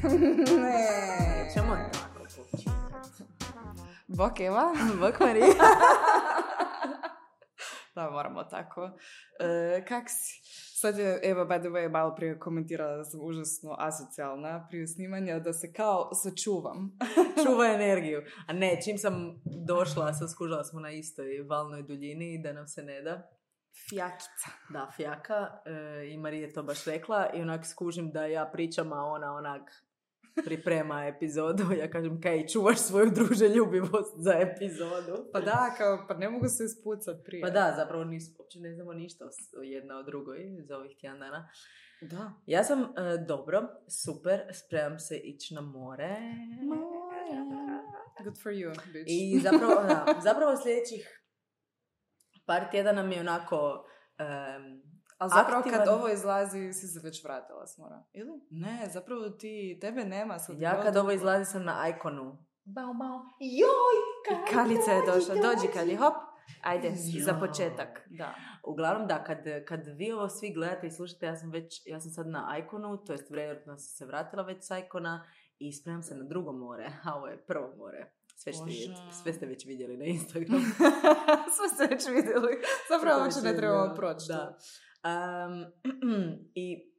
Ne. Čemo tako počinati? Bok Eva. Bok Marija. Da, moramo tako. Kak si? Sad je Eva, by the way, malo prije komentirala da sam užasno asocijalna prije snimanja, da se kao sačuvam. Čuva energiju. A ne, čim sam došla, sam skužila smo na istoj valnoj duljini da nam se ne da. Fjakica. Da, fjaka. I Marija je to baš rekla. I onak skužim da ja pričam, a ona onak priprema epizodu. Ja kažem, kaj, čuvaš svoju druželjubivost za epizodu. Pa da, kao, pa ne mogu se ispucat prije. Pa da, zapravo uopće ne znamo ništa jedna o drugoj za ovih tjedan dana. Da. Ja sam dobro, super, spremam se ići na more. Good for you, bitch. I zapravo sljedećih par tjedana mi je onako ali zapravo aktivan. kad ovo izlazi si se već vratila s mora. Ili? Ne, zapravo tebe nema. Sad ja kad ovo izlazi sam na Iconu. Bao, bao. Joj, Kalica je došla. Dođi Kali, hop. Ajde, Jo. za početak. Da. Uglavnom da, kad vi ovo svi gledate i slušate, ja sam sad na Iconu, to jest vjerojatno sam se vratila već s Icona i spremam se na drugo more, a ovo je prvo more. Sve ste već vidjeli na Instagramu. Sve ste već vidjeli. Zapravo uopće ne trebamo proći. Da. I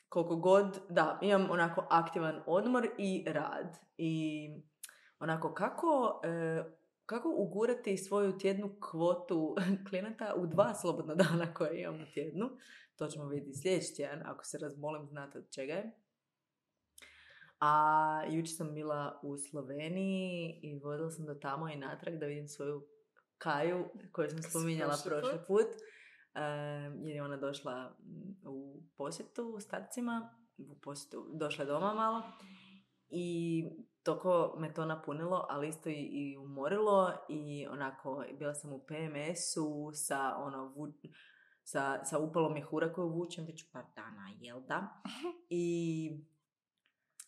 koliko god, da, imam onako aktivan odmor i rad. I onako kako ugurati svoju tjednu kvotu klijenata u 2 slobodna dana koje imam u tjednu. To ćemo vidjeti sljedeći tjedan, ako se razmolim, znate od čega je. A jučer sam bila u Sloveniji i vodila sam do tamo i natrag da vidim svoju Kaju koju sam spominjala prošli put. Jer je ona došla u posjetu starcima, došla je doma malo i toko me to napunilo, ali isto i umorilo i onako bila sam u PMS-u sa upalom mjehura koju vučem već par dana, jel da? I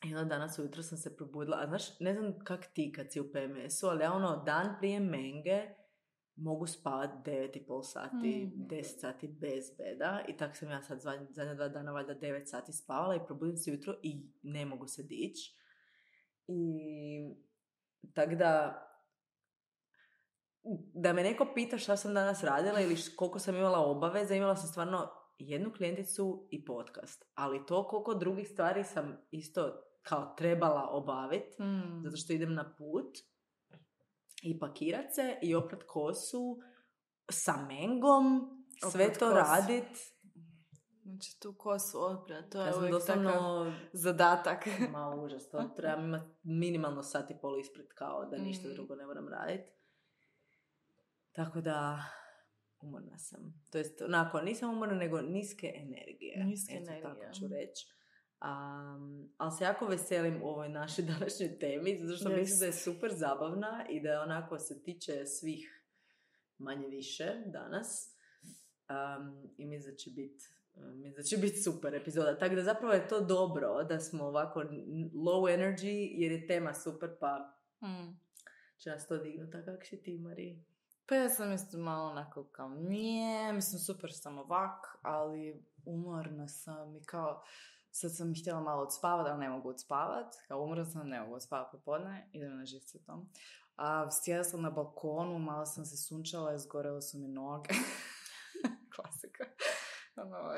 onda danas ujutro sam se probudila, a znaš, ne znam kak ti kad si u PMS-u, ali ja dan prije menge mogu spavati 9,5 sati, 10 sati bez beda i tako sam ja sad zadnja 2 dana valjda 9 sati spavala i probudim se jutro i ne mogu se dići. I tako da me neko pita šta sam danas radila ili koliko sam imala obaveza, imala sam stvarno jednu klijenticu i podcast, ali to koliko drugih stvari sam isto kao trebala obaviti, zato što idem na put i pakirat se i oprat kosu sa mengom, sve to radit. Znači tu kosu oprat, to je sam uvijek doslovno takav zadatak. Ma užas, to trebam imati minimalno sat i pol ispred kao da ništa drugo ne moram raditi. Tako da umorna sam. To jest, onako, nisam umorna, nego niske energije. Tako ću reći. Ali se jako veselim ovoj našoj današnjoj temi, zato što mislim da je super zabavna i da onako se tiče svih manje više danas. I mislim da će biti super epizoda. Tako da zapravo je to dobro da smo ovako low energy, jer je tema super, pa će nas to dignuti. A kak si ti, Marija? Pa ja sam isto malo onako kao mislim super sam ovak, ali umorna sam i kao sad sam htjela malo odspavati, ali ne mogu odspavati. Kao umorna sam, ne mogu odspavati popodne, idem na živce tom. A sjela sam na balkonu, malo sam se sunčala, izgorele su mi noge. Klasika.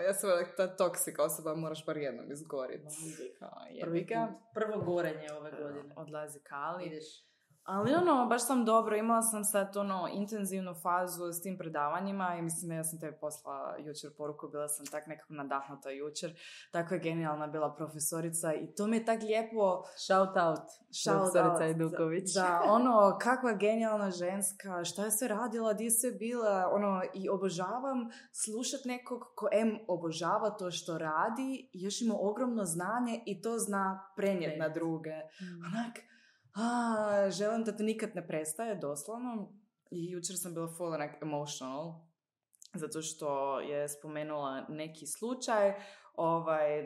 Ja sam ta toksika osoba, moraš bar jednom izgoriti. Prvo gorenje ove godine. Odlazi Kali. Ideš. Ali baš sam dobro, imala sam sad intenzivnu fazu s tim predavanjima i mislim, ja sam tebi poslala jučer poruku, bila sam tak nekako nadahnuta jučer, tako je genijalna bila profesorica i to mi je tak lijepo. Shout out, profesorica Eduković. Da, kakva genijalna ženska, šta je sve radila, gdje je sve bila, i obožavam slušat nekog ko obožava to što radi, još ima ogromno znanje i to zna prenijeti na druge. Onak, želim da to nikad ne prestaje, doslovno. I jučer sam bila full emotional, zato što je spomenula neki slučaj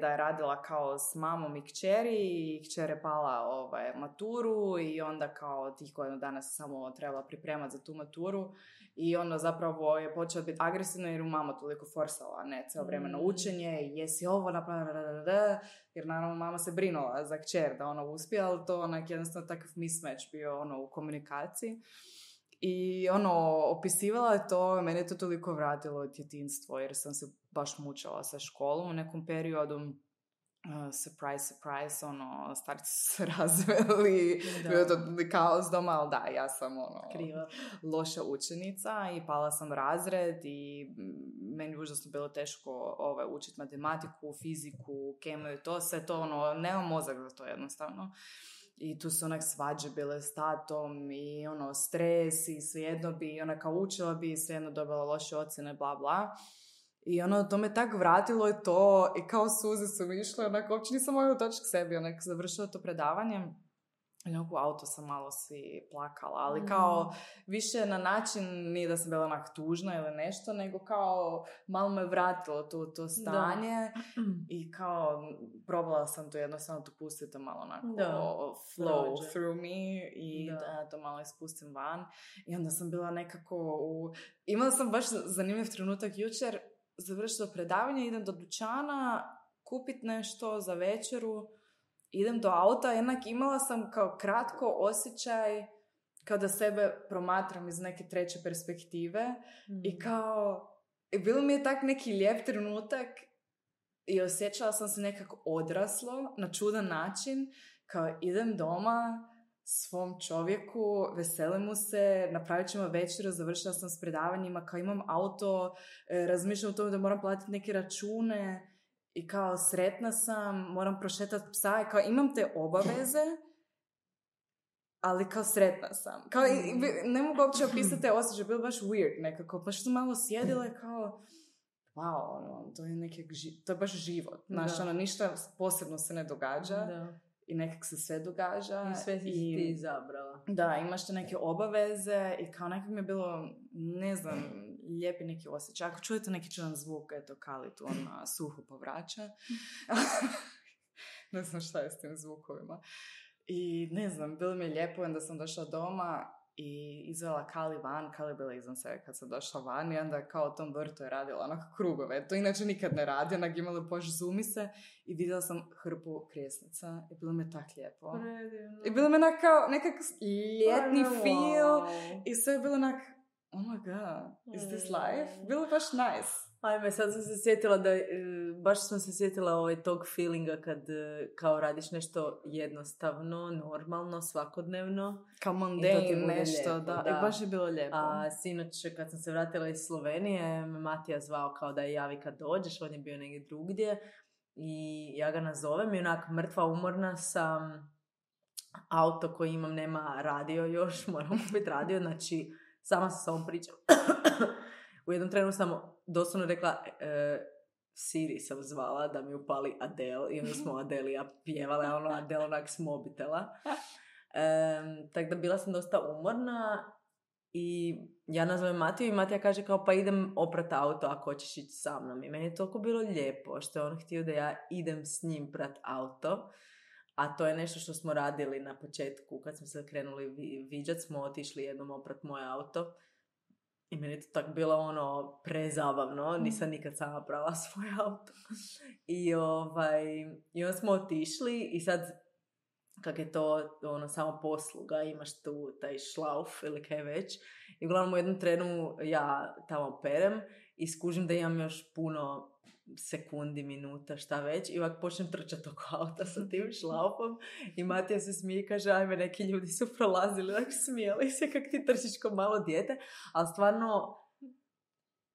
da je radila kao s mamom i kćeri i kćer je pala maturu i onda kao tih godinu dana se samo trebala pripremati za tu maturu i onda zapravo je počela biti agresivna jer u mama toliko forsala, ne, cijelo vrijeme na učenje i jesi ovo napravila, jer naravno mama se brinula za kćer da ona uspije, ali to onak jednostavno takav mismatch bio u komunikaciji. I opisivala je to, mene je to toliko vratilo od djetinjstvo, jer sam se baš mučila sa školom u nekom periodu. Surprise, starci su se razveli, bio je to kaos doma, ali da, ja sam loša učenica i pala sam razred i meni užasno bilo teško učiti matematiku, fiziku, kemiju, to sve to, nemam mozak za to jednostavno. I tu su onak svađe bile s tatom i stres i svejedno bi, kao učila bi i svejedno dobila loše ocjene, bla bla. I to me tak vratilo i to, i kao suze su mi išle, uopće nisam mogla doći k sebi, završila to predavanje. I u auto sam malo svi plakala, ali kao više na način, nije da sam bila onak tužna ili nešto, nego kao malo me vratilo to stanje i kao probala sam to jednostavno to pustiti malo onako flow through me i da to malo ispustim van. I onda sam bila nekako imala sam baš zanimljiv trenutak jučer, završila predavanje, idem do dućana kupit nešto za večeru, idem do auta, jednak imala sam kao kratko osjećaj kao da sebe promatram iz neke treće perspektive i kao, bilo mi je tak neki lijep trenutak i osjećala sam se nekako odraslo na čudan način, kao idem doma svom čovjeku, veselim mu se, napravit ćemo večeru, završila sam s predavanjima, kao imam auto, razmišljam o tome da moram platiti neke račune i kao sretna sam, moram prošetati psa i kao imam te obaveze, ali kao sretna sam. Kao, ne mogu uopće opisati te osjećaje, bilo baš weird nekako, pa što malo sjedila i kao wow, to je to je baš život. Znaš, ništa posebno se ne događa. I nekak se sve događa. I sve si ti izabrala. Da, imaš te neke obaveze i kao nekak mi je bilo, ne znam, lijepi neki osjećaj. Ako čujete neki čudan zvuk, eto, Kali tu suho povraća. Ne znam šta je s tim zvukovima. I ne znam, bilo mi je lijepo, onda sam došla doma i izvela Kali van. Kali je bila izvan sebe kad sam došla van i onda kao u tom vrtu je radila onako krugove. To inače nikad ne radi, onak imala požzumi se i vidjela sam hrpu krijesnica i bilo mi je tak lijepo. Predivno. I bilo mi je kao nekak ljetni feel i sve je bilo onak, oh my god, is this life? Bilo je baš nice. Ajme, sad sam se sjetila baš sam se sjetila tog feelinga kad kao radiš nešto jednostavno, normalno, svakodnevno. Kao mundane nešto, lijepo, da. I baš je bilo lijepo. A sinoć kad sam se vratila iz Slovenije, me Matija zvao kao da je javi kad dođeš, on je bio negdje drugdje i ja ga nazovem i onak mrtva umorna sam, auto koji imam nema radio još, moram kupiti radio, znači sama sam s ovom pričam. U jednom trenu sam doslovno rekla, Siri sam zvala da mi upali Adele i onda smo Adele ja pjevale, Adele onak s mobitela. Tako da bila sam dosta umorna i ja nazovem Matiju i Matija kaže kao pa idem oprat auto ako hoćeš ići sa mnom. I meni je toliko bilo lijepo što je on htio da ja idem s njim prat auto. A to je nešto što smo radili na početku kad smo se krenuli viđat, smo otišli jednom oprat moj auto. I meni je to tako bilo prezabavno, nisam nikad sama prala svoj auto. I onda smo otišli i sad kak je to samo posluga, imaš tu taj šlauf ili kaj već. I uglavnom u jednom trenu ja tamo perem i skužim da imam još puno sekundi, minuta, šta već. I ovak počnem trčati oko auta sa tim šlaufom i Matija se smije i kaže ajme, neki ljudi su prolazili, smijali se kak ti trčiš ko malo dijete, ali stvarno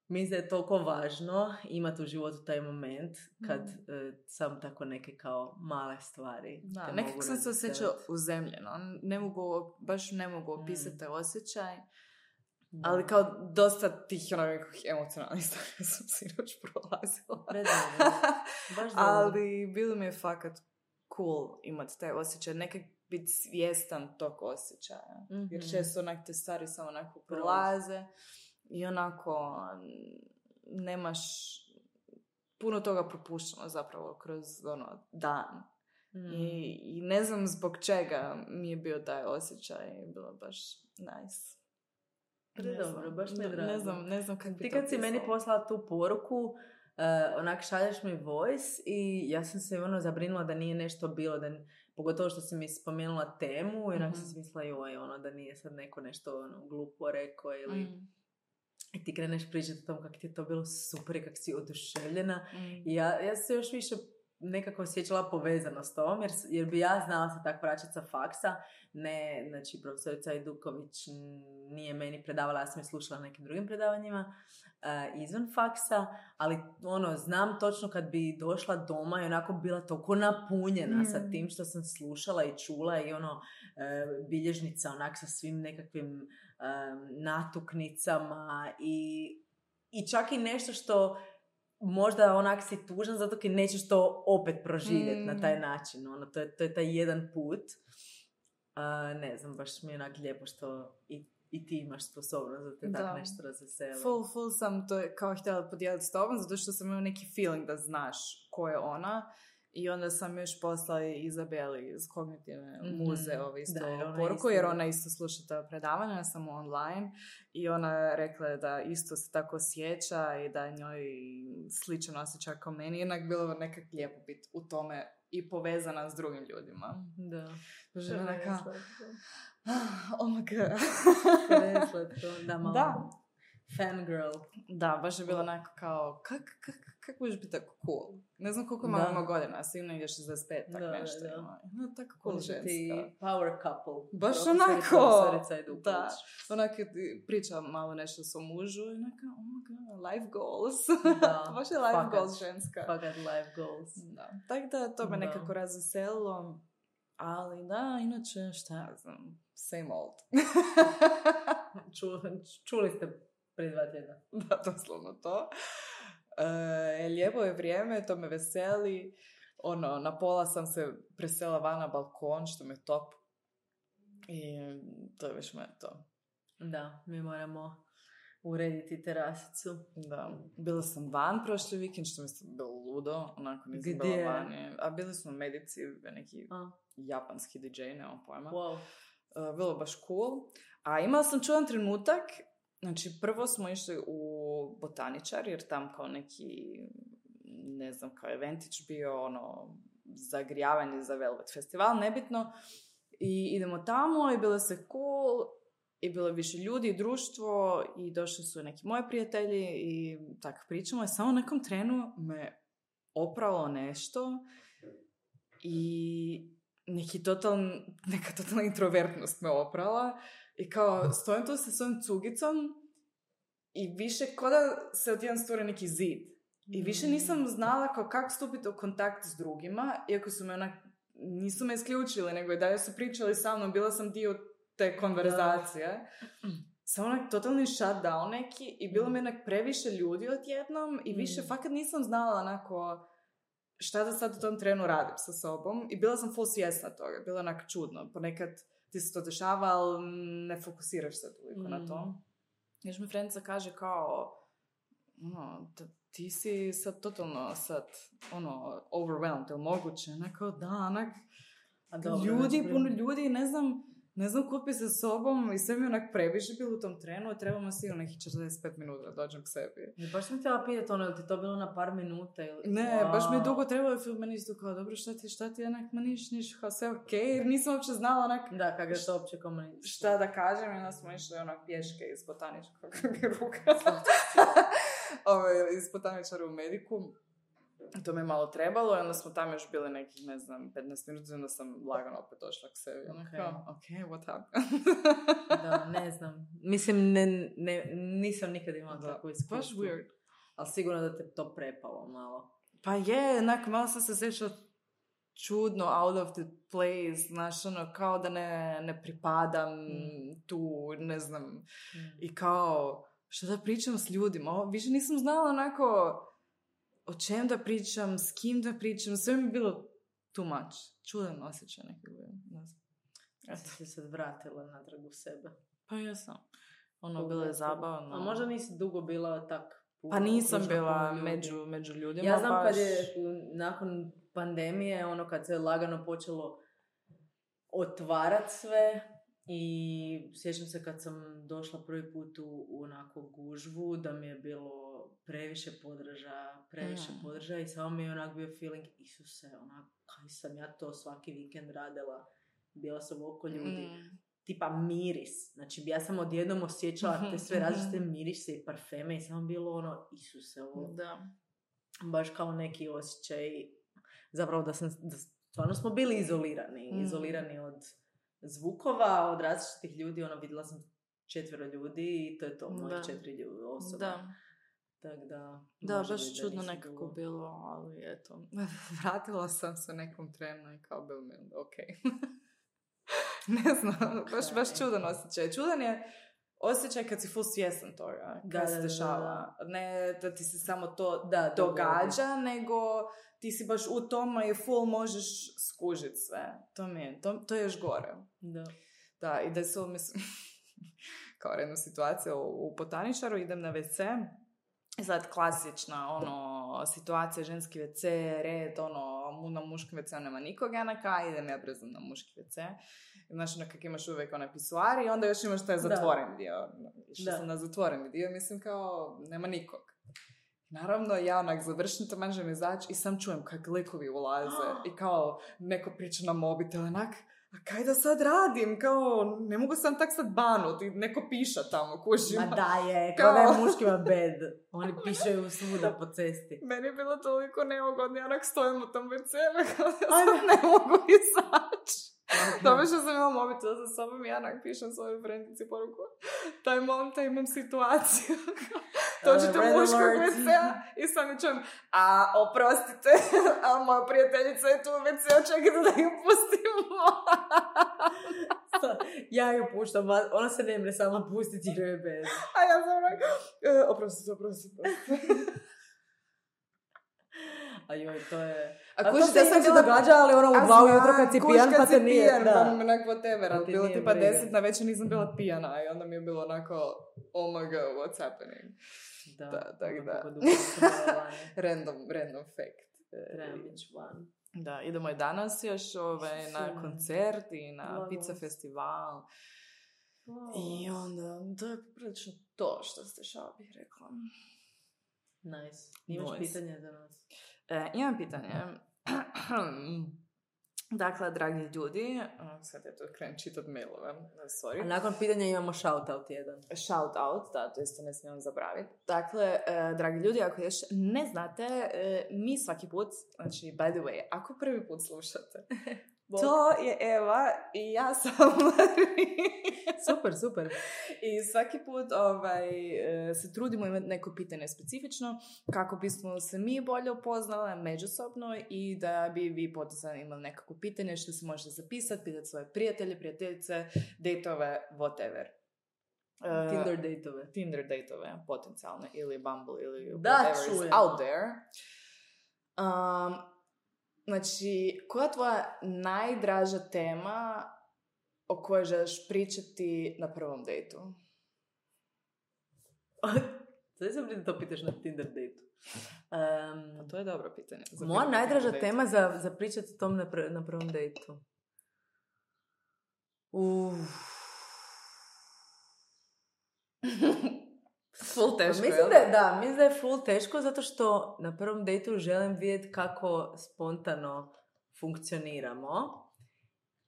mislim da je toliko važno imati u životu taj moment kad sam tako neke kao male stvari. Da, nekako sam se osjećala uzemljeno. Baš ne mogu opisati osjećaj. Da. Ali kao dosta tih nekakvih emocionalnih stvari sam sinoć prolazila. Ali bilo mi je fakat cool imati taj osjećaj. Nekak biti svjestan tog osjećaja. Jer često onak te stvari samo onako prolaze i onako nemaš puno toga propuštamo zapravo kroz dan. I ne znam zbog čega mi je bio taj osjećaj. Bilo baš nice. Dobro, baš mi je drago. Ne znam kako bi ti to kad si meni poslala tu poruku, onak šalješ mi voice i ja sam se zabrinula da nije nešto bilo, pogotovo što si mi spomenula temu i onak sam si mislila da nije sad neko nešto glupo rekao ili i ti kreneš pričati o tom kako ti je to bilo super i kako si oduševljena i ja se još više nekako osjećala povezano s tom, jer bi ja znala se tak vraćati sa faksa. Ne, znači profesorica Ajduković nije meni predavala, ja sam je slušala na nekim drugim predavanjima izvan faksa, ali znam točno kad bi došla doma i onako bila toliko napunjena sa tim što sam slušala i čula i bilježnica onak sa svim nekakvim natuknicama i čak i nešto što možda onak si tužan zato jer nećeš to opet proživjeti na taj način. To je taj jedan put. Ne znam, baš mi je onak lijepo što i ti imaš sposobnost da te tako nešto razveseli. Full sam to kao htjela podijeliti s tobom, zato što sam imala neki feeling da znaš ko je ona. I onda sam još poslala Izabeli iz Kognitivne muze isto poruku, jer ona isto sluša ta predavanja, samo online. I ona rekla da isto se tako osjeća i da njoj sličan osjećaj kao meni. Jednak bilo nekak lijepo biti u tome i povezana s drugim ljudima. Da. Bože, onaka... Oh my god. Da, malo. Da. Fangirl. Da, baš je bilo onako kao, kako možeš biti tako cool? Ne znam koliko ima godina, sigurno ide 65, tak nešto ima. Tako cool ženska. Power couple. Baš onako, da. Onako priča malo nešto s mužu i onako, oh my god, life goals. Da. Baš je life goals ženska. Fakat life goals. Da. Tako da to me nekako razveselilo. Ali da, inače, šta ja znam, same old. Čuli ste prije 2 tjedna. Da, doslovno to. Lijepo je vrijeme, to me veseli. Na pola sam se presela van na balkon, što me top. I to je već to. Da, mi moramo urediti terasicu. Da. Bila sam van prošli vikend, što mi se bilo ludo. Onako nisam bila vani. A bili smo u Medici, neki japanski DJ, nemam pojma. Wow. Bilo baš cool. A imala sam čudan trenutak. Znači, prvo smo išli u Botaničar, jer tam kao neki, ne znam, kao eventić bio, zagrijavanje za Velvet festival, nebitno. I idemo tamo i bilo se cool, i bilo više ljudi i društvo, i došli su neki moji prijatelji i tako pričamo. I samo u nekom trenu me opralo nešto i neka totalna introvertnost me oprala. I kao, stojim tu sa svojom cugicom i više ko da se odjedan stvore neki zid. I više nisam znala kako stupiti u kontakt s drugima, iako su me nisu me isključili, nego i dalje su pričali sa mnom, bila sam dio te konverzacije. Samo totalni shutdown neki i bilo mi previše ljudi odjednom i više fakat nisam znala šta da sad u tom trenu radim sa sobom i bila sam full svjesna toga, bilo čudno, ponekad ti se to dešava, ali ne fokusiraš se toliko na to. Još mi frendica kaže kao, ti si sad totalno overwhelmed, ili moguće? Nekao, da, puno ljudi, ne znam kupi se sobom i sve mi previše bilo u tom trenu, trebamo sigurno nekih 45 minuta da dođem k sebi. I baš sam htjela pitati ili ti to bilo na par minuta ili... Ne, baš mi je dugo trebalo i meni isto kao, dobro, šta ti niš, kao sve okej, jer nisam uopće znala Da, kako je to uopće komunicirati. Šta da kažem, i onda smo išli pješke iz Botaničkog ruka. Iz Botaničara u Mediku. To mi je malo trebalo i onda smo tamo još bili nekih, 15 minuta, onda sam lagano opet došla k sebi. Okay, what happened? Da, ne znam. Mislim, nisam nikad imala tako iskustvo. Baš weird. Ali sigurno da te to prepalo malo. Pa je, malo sam se sjećala čudno, out of the place, kao da ne pripadam tu, ne znam. I kao, šta da pričam s ljudima? Više nisam znala o čem da pričam, s kim da pričam, sve mi je bilo too much. Čudan osjećaj neki bio, ne znam. Eto. Si se vratila natrag u sebe. Pa jesam. Bilo je zabavno. A možda nisi dugo bila tak Pa nisam slušam bila puno ljudi. među ljudima. Ja znam baš... kad je nakon pandemije, kad se lagano počelo otvarat sve i sjećam se kad sam došla prvi put u onako gužvu da mi je bilo previše podržaja i samo mi je onak bio feeling, Isuse, kaj sam ja to svaki vikend radila, bila sam oko ljudi. Tipa miris. Znači, ja sam odjednom osjećala te sve različite mirise i parfeme i samo bilo Isuse, ovo. Da. Baš kao neki osjećaj. Zapravo da stvarno smo bili izolirani od zvukova, od različitih ljudi. Vidjela sam 4 ljudi i to je to, mojih 4 osoba. Da. Tak da, baš čudno nekako bilo, ali eto. Vratila sam se nekom trenu i kao bilo mi ok. Ne znam, baš čudan osjećaj. Čudan je osjećaj kad si full svjestan toga, kad se dešava. Ne da ti se samo to događa, nego ti si baš u tome i full možeš skužiti sve. To je još gore. Da, i da su, mislim, kao rednu situaciju u Botaničaru, idem na WC, i sad klasična, situacija, ženski WC, red, na muškom WC nema nikoga idem ja brzo na muški WC. Znaš, kak imaš uvijek onaj pisuar i onda još imaš taj zatvoreni dio. Išla sam na zatvoreni dio, mislim kao, nema nikog. Naravno, ja završim to, manžem izaći i sam čujem kak likovi ulaze i kao neko priča na mobitel, a kaj da sad radim? Kao, ne mogu sam tak sad banuti, neko piša tamo, kužima. Ma da je, kao da je muškima bed. Oni pišaju svuda po cesti. Meni je bilo toliko neugodno, ja stojim u tom WC-u, kao da sad ne mogu izaći. Dobro što sam imala mobitel za sobom i ja pišem svojoj frendici poruku. Taj momenta imam situaciju. Dođete u muškog WC-a i sam mi čujem, oprostite, a moja prijateljica je tu u WC-u, čekajte da ju pustimo. Ja ju puštam, ona se ne mre sama pustiti jer je bez. A ja sam oprostite. A joj, to je... A to se sam se događa, ali u 2 ujutro kad si pijan, pa te nije... Pijan, pa mi onako whatever, ali bilo tipa 10 na večer nisam bila pijana i onda mi je bilo onako, oh my god, what's happening? Da. Random fact. Treba biti van. Da, idemo i danas još na koncert i na pizza festival. I onda, to je prilično to što ste šta bih rekla. Nice. Imaš pitanje za nas? Imam pitanje. Dakle, dragi ljudi, sad je to krenem čitat mailove, sorry. A nakon pitanja imamo shout-out jedan. Shout-out, da, to isto ne smijem zabraviti. Dakle, dragi ljudi, ako još ne znate, mi svaki put, znači, by the way, ako prvi put slušate, to je Eva i ja sam Super. I svaki put se trudimo imati neko pitanje specifično kako bismo se mi bolje upoznali međusobno i da bi vi potencijalno imali nekako pitanje što se možete zapisati, pitati svoje prijatelje, prijateljice, dejtove, whatever. Tinder dejtove, potencijalne, ili Bumble, ili whatever is out there. Znači, koja je tvoja najdraža tema o kojoj želiš pričati na prvom dejtu? Sada sam da to pitaš na Tinder dejtu. To je dobro pitanje. Moja najdraža tema za pričati o tom na prvom dejtu. Full teško, mislim da je full teško zato što na prvom dejtu želim vidjeti kako spontano funkcioniramo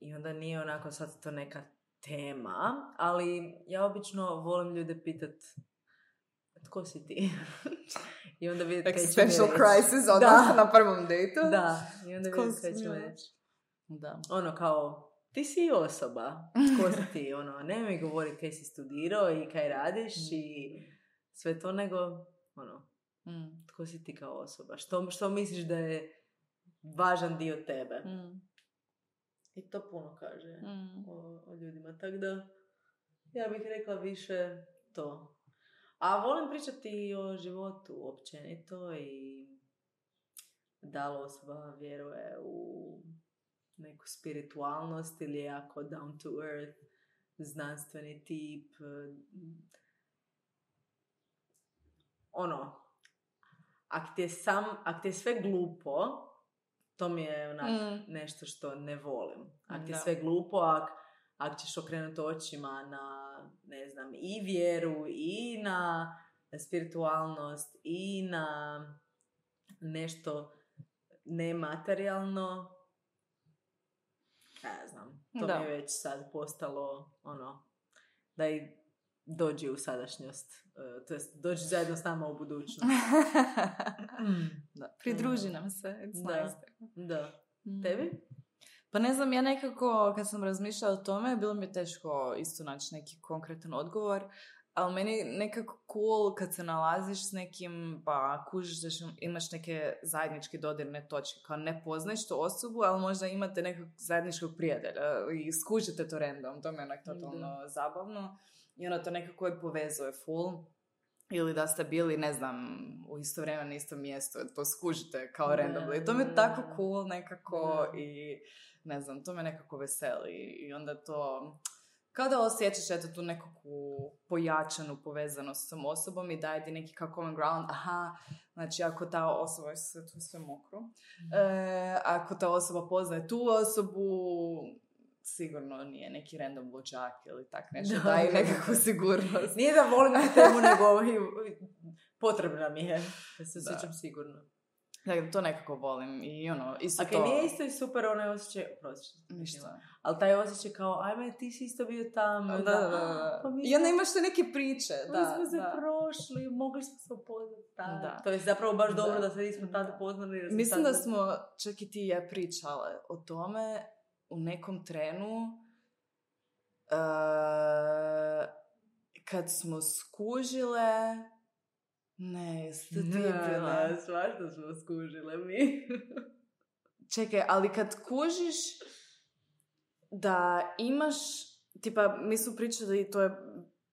i onda nije onako sad to neka tema, ali ja obično volim ljude pitat tko si ti? I onda vidjeti kaj će mi reći. Existential crisis odmah na prvom dejtu. Da, i onda vidjeti kaj će mi reći. Kao, ti si osoba, tko si ti, ne mi govori kaj si studirao i kaj radiš i sve to, nego, tko si ti kao osoba, što misliš da je važan dio tebe. I to puno kaže o ljudima, tako da ja bih rekla više to. A volim pričati o životu općenito i da li osoba vjeruje u neku spiritualnost ili je jako down to earth, znanstveni tip, ak ti je sve glupo, to mi je onak nešto što ne volim. Ak ti je sve glupo, ak ćeš okrenuti očima na, ne znam, i vjeru, i na spiritualnost, i na nešto nematerijalno, ja znam, to mi je već sad postalo da i dođi u sadašnjost, to jest dođi zajedno s nama u budućnost. Da, pridruži nam se, it's nice. Da. Tebi? Pa ne znam, ja nekako, kad sam razmišljala o tome, bilo mi je teško isto naći neki konkretan odgovor, ali meni nekako cool kad se nalaziš s nekim, pa kužiš da imaš neke zajedničke dodirne točke, kao ne poznaješ tu osobu, ali možda imate nekog zajedničkog prijatelja i skužite to random, to mi je onak totalno zabavno i to nekako je povezuje full. Ili da ste bili, ne znam, u isto vrijeme na istom mjestu, to skužite kao randomly. I to mi je tako cool nekako i ne znam, to me nekako veseli. I onda to, kao da osjećaš eto tu nekakvu pojačanu povezanost s tom osobom i daje ti neki kao common ground. Aha, znači ako ta osoba, tu sve mokro, ako ta osoba poznaje tu osobu, sigurno nije neki random luđak ili tak nešto, daje nekakvu sigurnost. Nije da volim tu temu, nego potrebna mi je, da se osjećam sigurno. Dakle, to nekako volim i isto to... Nije isto i super onaj osjećaj, ništa. Ali taj osjećaj kao, ajme, ti si isto bio tamo. Da. Pa i onda imaš te neke priče. Da, smo se prošli, mogli smo se upoznati. To je zapravo baš dobro da se nismo tada poznali. Mislim da smo, čak i ti i ja pričale o tome, u nekom trenu kad smo skužile jeste ti bila? Ne, svašta smo skužile mi. Čekaj, ali kad kužiš da imaš, tipa, mi su pričali i to je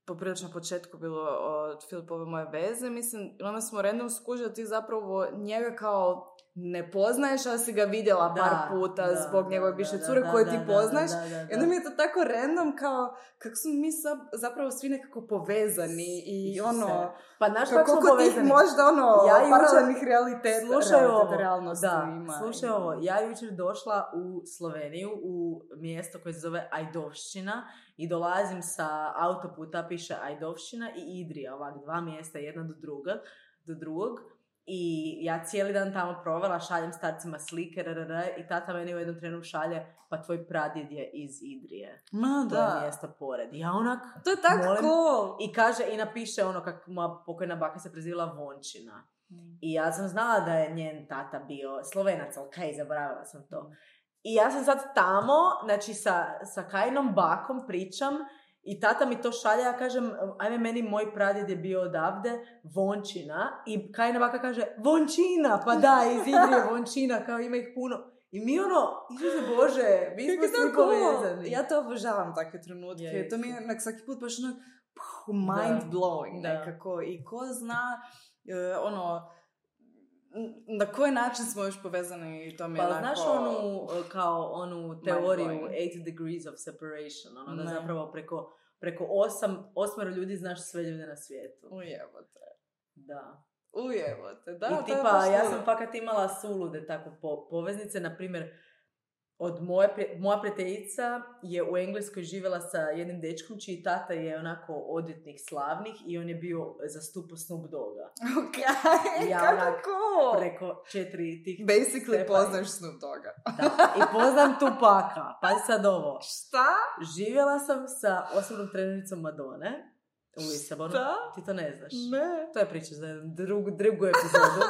poprilično na početku bilo od Filipove moje veze, mislim, onda smo random skužili da ti zapravo njega kao ne poznaješ, ali si ga vidjela par puta zbog njegove bivše cure koje ti poznaješ. I onda mi je to tako random kao kako smo mi zapravo svi nekako povezani i pa znaš kako smo povezani? Možda paralelnih realnosti ima. Slušaj ovo, ja jučer došla u Sloveniju, u mjesto koje se zove Ajdovščina i dolazim sa autoputa, piše Ajdovščina i Idrija, ovak 2 mjesta, jedna do drugog. I ja cijeli dan tamo provela, šaljem starcima slike, i tata meni u jednom trenu šalje, pa tvoj pradjed je iz Idrije. To je mjesto pored. Ja onak... To je tako cool! I kaže, i napiše kako moja pokojna baka se prezivala Vončina. I ja sam znala da je njen tata bio Slovenac, ali kaj, zaboravila sam to. I ja sam sad tamo, znači sa Kajinom bakom pričam, i tata mi to šalje, ja kažem, ajme, meni moj pradjed je bio odavde, Vončina, i Kajina baka kaže, Vončina, pa da, iz Idrije Vončina, kao ima ih puno. I mi Isuse Bože, mi smo svi povezani. Ja to obožavam takve trenutke, to mi je svaki put baš mind blowing nekako, i ko zna, na koji način smo još povezani i to mi je pa znaš onu teoriju 8 degrees of separation, da zapravo preko 8 ljudi znaš sve ljude na svijetu. Ujebote. Da. Da, i tipa, ja sam fakat imala sulude tako poveznice, na primjer, od moja prijateljica je u Engleskoj živjela sa jednim dečkom čiji tata je onako odvjetnik slavnih i on je bio zastupao Snoop Dogga. Ok, ja kako preko 4 tih basically poznaš Snoop Dogga. Da, i poznam Tupaka. Pazi sad ovo. Šta? Živjela sam sa osobnom trenericom Madone u Lisabonu. Šta? Ti to ne znaš. Ne. To je priča za drugu epizodu.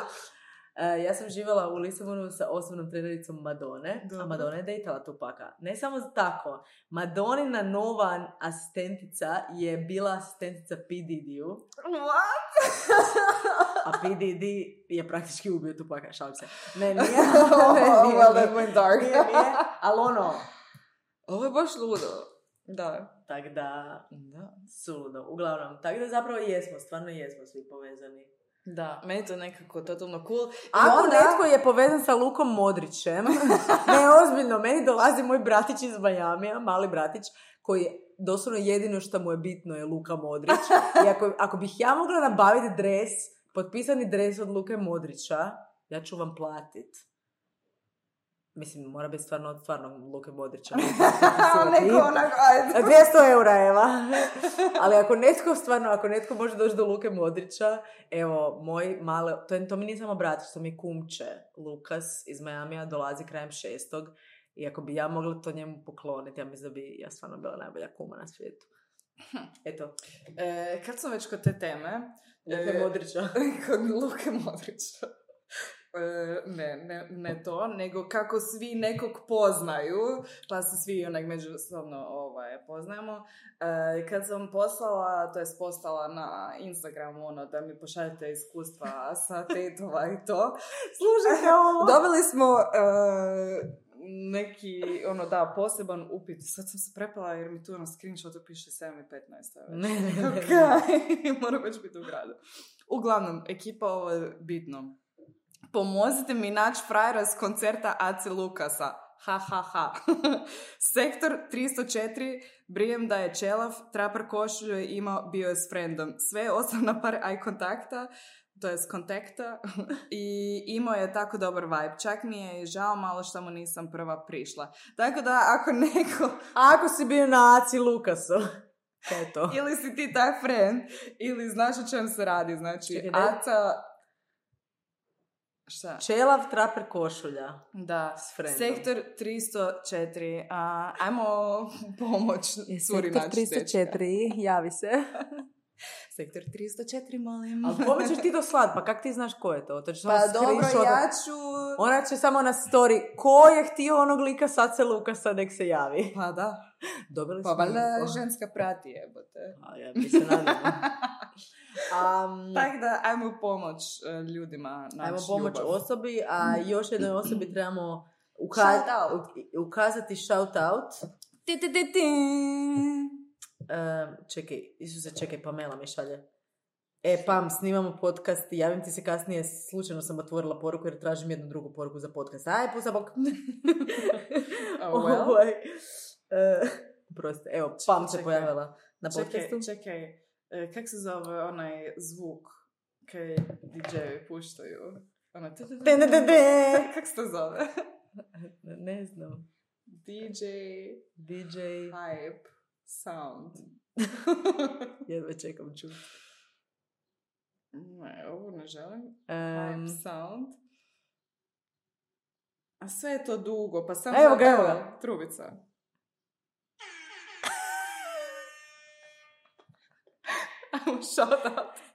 Ja sam živjela u Lisabonu sa osobnom trenericom Madone, a Madonna je dejtala Tupaka. Ne samo tako, Madonina nova asistentica je bila asistentica P. Diddy-u. What? A P. Diddy je praktički ubio Tupaka, šalim se. Ne, nije. Well, that went dark. Nije, ali ovo je baš ludo. Da. Tak da, suludo. Uglavnom, tako da zapravo stvarno jesmo svi povezani. Da, meni to nekako totalno cool. Ako netko je povezan sa Lukom Modrićem, ne, ozbiljno, meni dolazi moj bratić iz Majamija, mali bratić, koji je doslovno jedino što mu je bitno je Luka Modrić. I ako bih ja mogla nabaviti dres potpisani dres od Luke Modrića, ja ću vam platit. Mislim, mora biti stvarno Luke Modrića. Neko onako, ajde. 200 eura, Eva. Ali ako netko može doći do Luke Modrića, evo, to mi nije samo brat, što mi kumče, Lukas iz Miamija, dolazi krajem 6. I ako bi ja mogla to njemu pokloniti, ja mislim da bi ja stvarno bila najbolja kuma na svijetu. Eto. Kad sam već kod te teme... Luke Modrića. Kod Luke Modrića. Ne to, nego kako svi nekog poznaju, pa se svi onak međusobno poznajemo. Kad sam postala na Instagramu da mi pošaljete iskustva sa tetova i to, slušajte ovo. Dobili smo neki, poseban upit. Sad sam se prepala jer mi tu na screenshotu piše 7:15. Ne. Moram već biti u gradu. Uglavnom, ekipa, ovo je bitno. Pomozite mi naći frajera s koncerta AC Lukasa. Ha. Sektor 304, brijem da je čelav, trapar košulju je imao, bio je s friendom. Sve je ostao na par eye kontakta, to je s kontakta, i imao je tako dobar vibe. Čak mi je žao malo što mu nisam prva prišla. Tako da, Ako si bio na AC Lukasu, eto. Ili si ti taj friend, ili znaš o čem se radi. Znači, Aca... Šta? Čelav, traper, košulja. Da. S friendom. Sektor 304. Ajmo pomoć curi naći Sektor 304, javi se. Sektor 304, molim. Ali kome ćeš ti to slat? Pa kak ti znaš ko je to? Pa dobro, ja ću... Ona će samo na story. Ko je htio onog lika sad se Lukasa, nek se javi. Pa da. Dobili pa valjda ženska prati, jebote. A ja bi se nadala. Tako da, ajmo pomoć ljudima. Ajmo pomoć osobi, a još jednoj osobi trebamo ukazati shout out. Čekaj, Pamela mi šalje. Pam, snimamo podcast i javim ti se kasnije, slučajno sam otvorila poruku jer tražim jednu drugu poruku za podcast. Aj, pusa bok. Proste, evo, Pam se pojavila na podcastu. Čekaj, kak se zove onaj zvuk kaj DJ-evi puštaju? Kak se to zove? Ne znam. DJ Hype Sound. Jedva čekam čuti. Ne, ovo ne želim. Hype Sound. A sve je to dugo, pa sam evo ga. Trubica.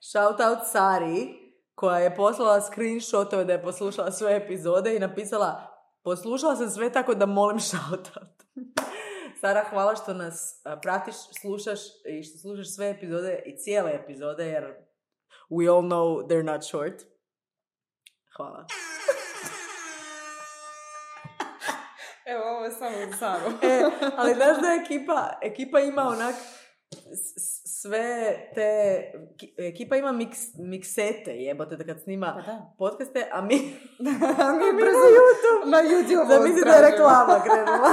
Shout out Sari, koja je poslala screenshotove da je poslušala sve epizode i napisala: poslušala sam sve, tako da molim shout out. Sara, hvala što nas pratiš, slušaš i što slušaš sve epizode i cijele epizode, jer we all know they're not short. Hvala. Evo, ovo je samo za Saru. Ali znaš da ekipa ima onak sve te... Ekipa ima miksete, jebote, da kad snima podcaste, a mi na YouTube. Da misli da je reklama krenula.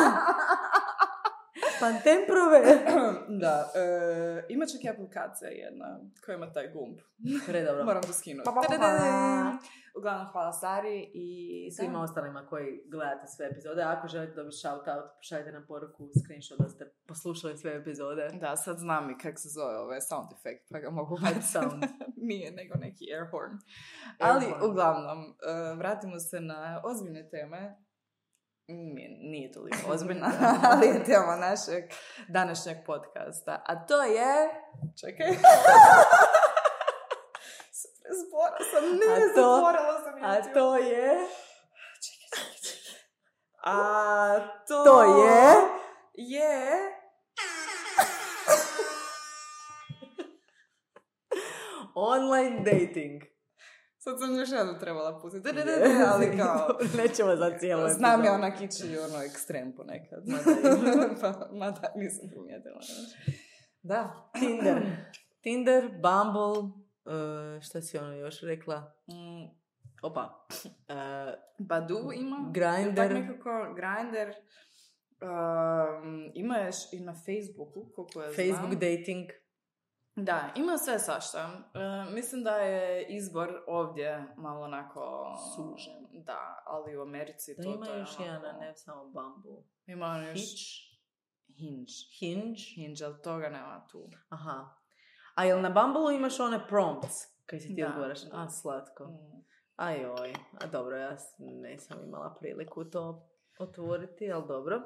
Pantemprove. Da, ima čak i aplikacija jedna koja ima taj gumb. Predobro. Moram to skinuti. Uglavnom, hvala Sari i svima ostalima koji gledate sve epizode. Ako želite dobiti shout out, pošaljite nam poruku, screenshot da ste poslušali sve epizode. Da, sad znam i kako se zove ovaj sound effect, pa ga mogu baciti. Sound. Nije nego neki air horn. Ali uglavnom, vratimo se na ozbiljne teme. Nije toliko ozbiljna, ali je tema našeg današnjeg podcasta. A to je... Čekaj. Zatvorila sam YouTube. A to je... Čekaj. A to je... online dating. Sad sam još jednu trebala pustiti. Ali kao... Nećemo za cijelo epizodu. Znam je onak ići ekstrem ponekad. Mada nisam primijetila. Da. Tinder, Bumble, šta si ono još rekla? Opa. Badoo ima. Grindr. Tak nekako Grindr. Ima još i na Facebooku. Facebook dating. Da, ima sve svašta. Mislim da je izbor ovdje malo onako... Sužen. Da, ali u Americi Da to ima je još onako... jedan, ne samo Bumble. Ima on još... Hinge. Hinge, ali toga nema tu. Aha. A jel na Bumbleu imaš one prompts? Kaj si ti odgovaraš? A, slatko. Ajoj. A dobro, ja nisam imala priliku to otvoriti, ali dobro.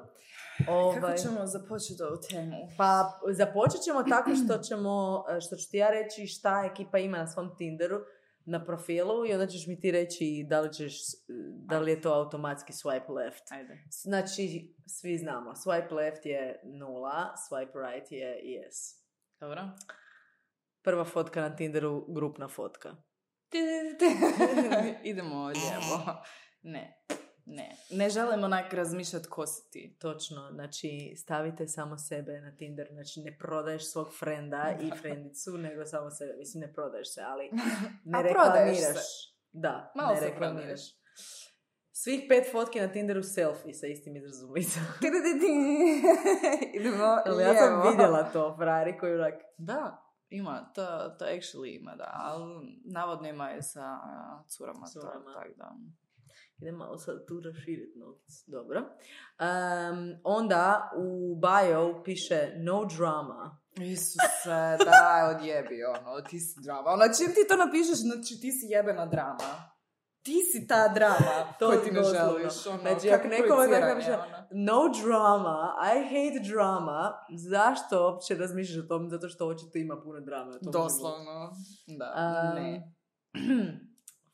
Kako ćemo započeti ovu temu? Pa započet ćemo tako što ću ti ja reći šta ekipa ima na svom Tinderu na profilu i onda ćeš mi ti reći da li je to automatski swipe left. Ajde. Znači, svi znamo, swipe left je 0, swipe right je yes. Dobro. Prva fotka na Tinderu, grupna fotka. Idemo lijevo. Ne želim onak razmišljati ko si ti. Točno, znači stavite samo sebe na Tinder, znači ne prodaješ svog frenda i frendicu, nego samo sebe. Mislim, ne prodaješ se, ali ne reklamiraš. Da, malo ne reklamiraš. Svih 5 fotki na Tinderu selfie sa istim izrazom lica. Idemo ali ja sam vidjela to, frari koji onak... Da, ima, to actually ima, da, ali navodno ima je sa curama. Tak da... Idem malo sad tu raširiti notes. Dobro. Onda u bio piše no drama. Isuse, da, odjebi, ti si drama. Čim ti to napišeš, znači ti si jebena drama. Ti si ta drama koju ti ne želiš. Znači, ako nekome tako napiše no drama, I hate drama, zašto uopće razmišljaš o tom? Zato što očito ima puno drame. Doslovno. Da, ne.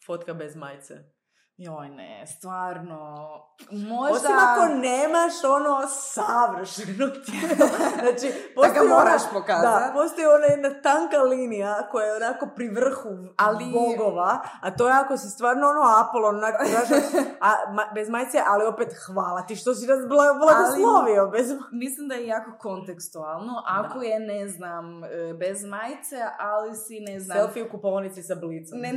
Fotka bez majice. Joj ne, stvarno, možda... Osim ako nemaš savršeno tijelo. Znači, da ga moraš pokazati. Da, postoji jedna tanka linija koja je onako pri vrhu bogova, a to je ako si stvarno Apolon, bez majice, ali opet hvala ti što si nas blagoslovio. Mislim da je jako kontekstualno, ako je, ne znam, bez majice, ali si, ne znam... Selfie u kupovnici sa blicom. Ne,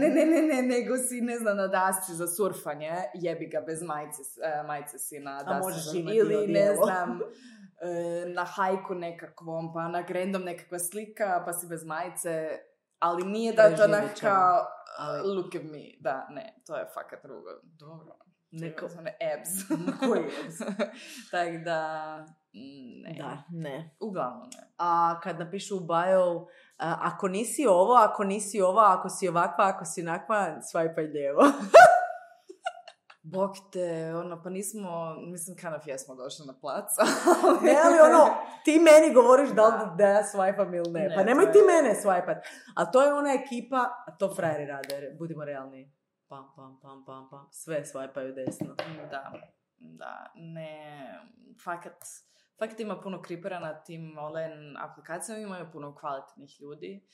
nego si, ne znam, na dasci za surfanje, jebi ga bez majice si na dasci. Ili, ne znam, na hajku nekakvom, pa na random nekakva slika, pa si bez majice, ali nije da to neka look at me. Da, ne, to je fakat drugo. Dobro. Neko... Abs. Koji abs? Tak da, ne. Da, ne. Uglavnom ne. A kad napišu u bio, ako nisi ovo, ako nisi ova, ako si ovakva, ako si onakva, swipaj lijevo. Bog te, pa nismo, mislim, kind of jesmo došli na plac. Ne, ali ti meni govoriš da ja swipam ili ne. Pa nemoj ti mene swipat. A to je ona ekipa, a to frajeri rade, budimo realni. Pam. Sve swipaju desno. Da, ne, fakat ima puno kripera na tim online aplikacijama, imaju puno kvalitetnih ljudi.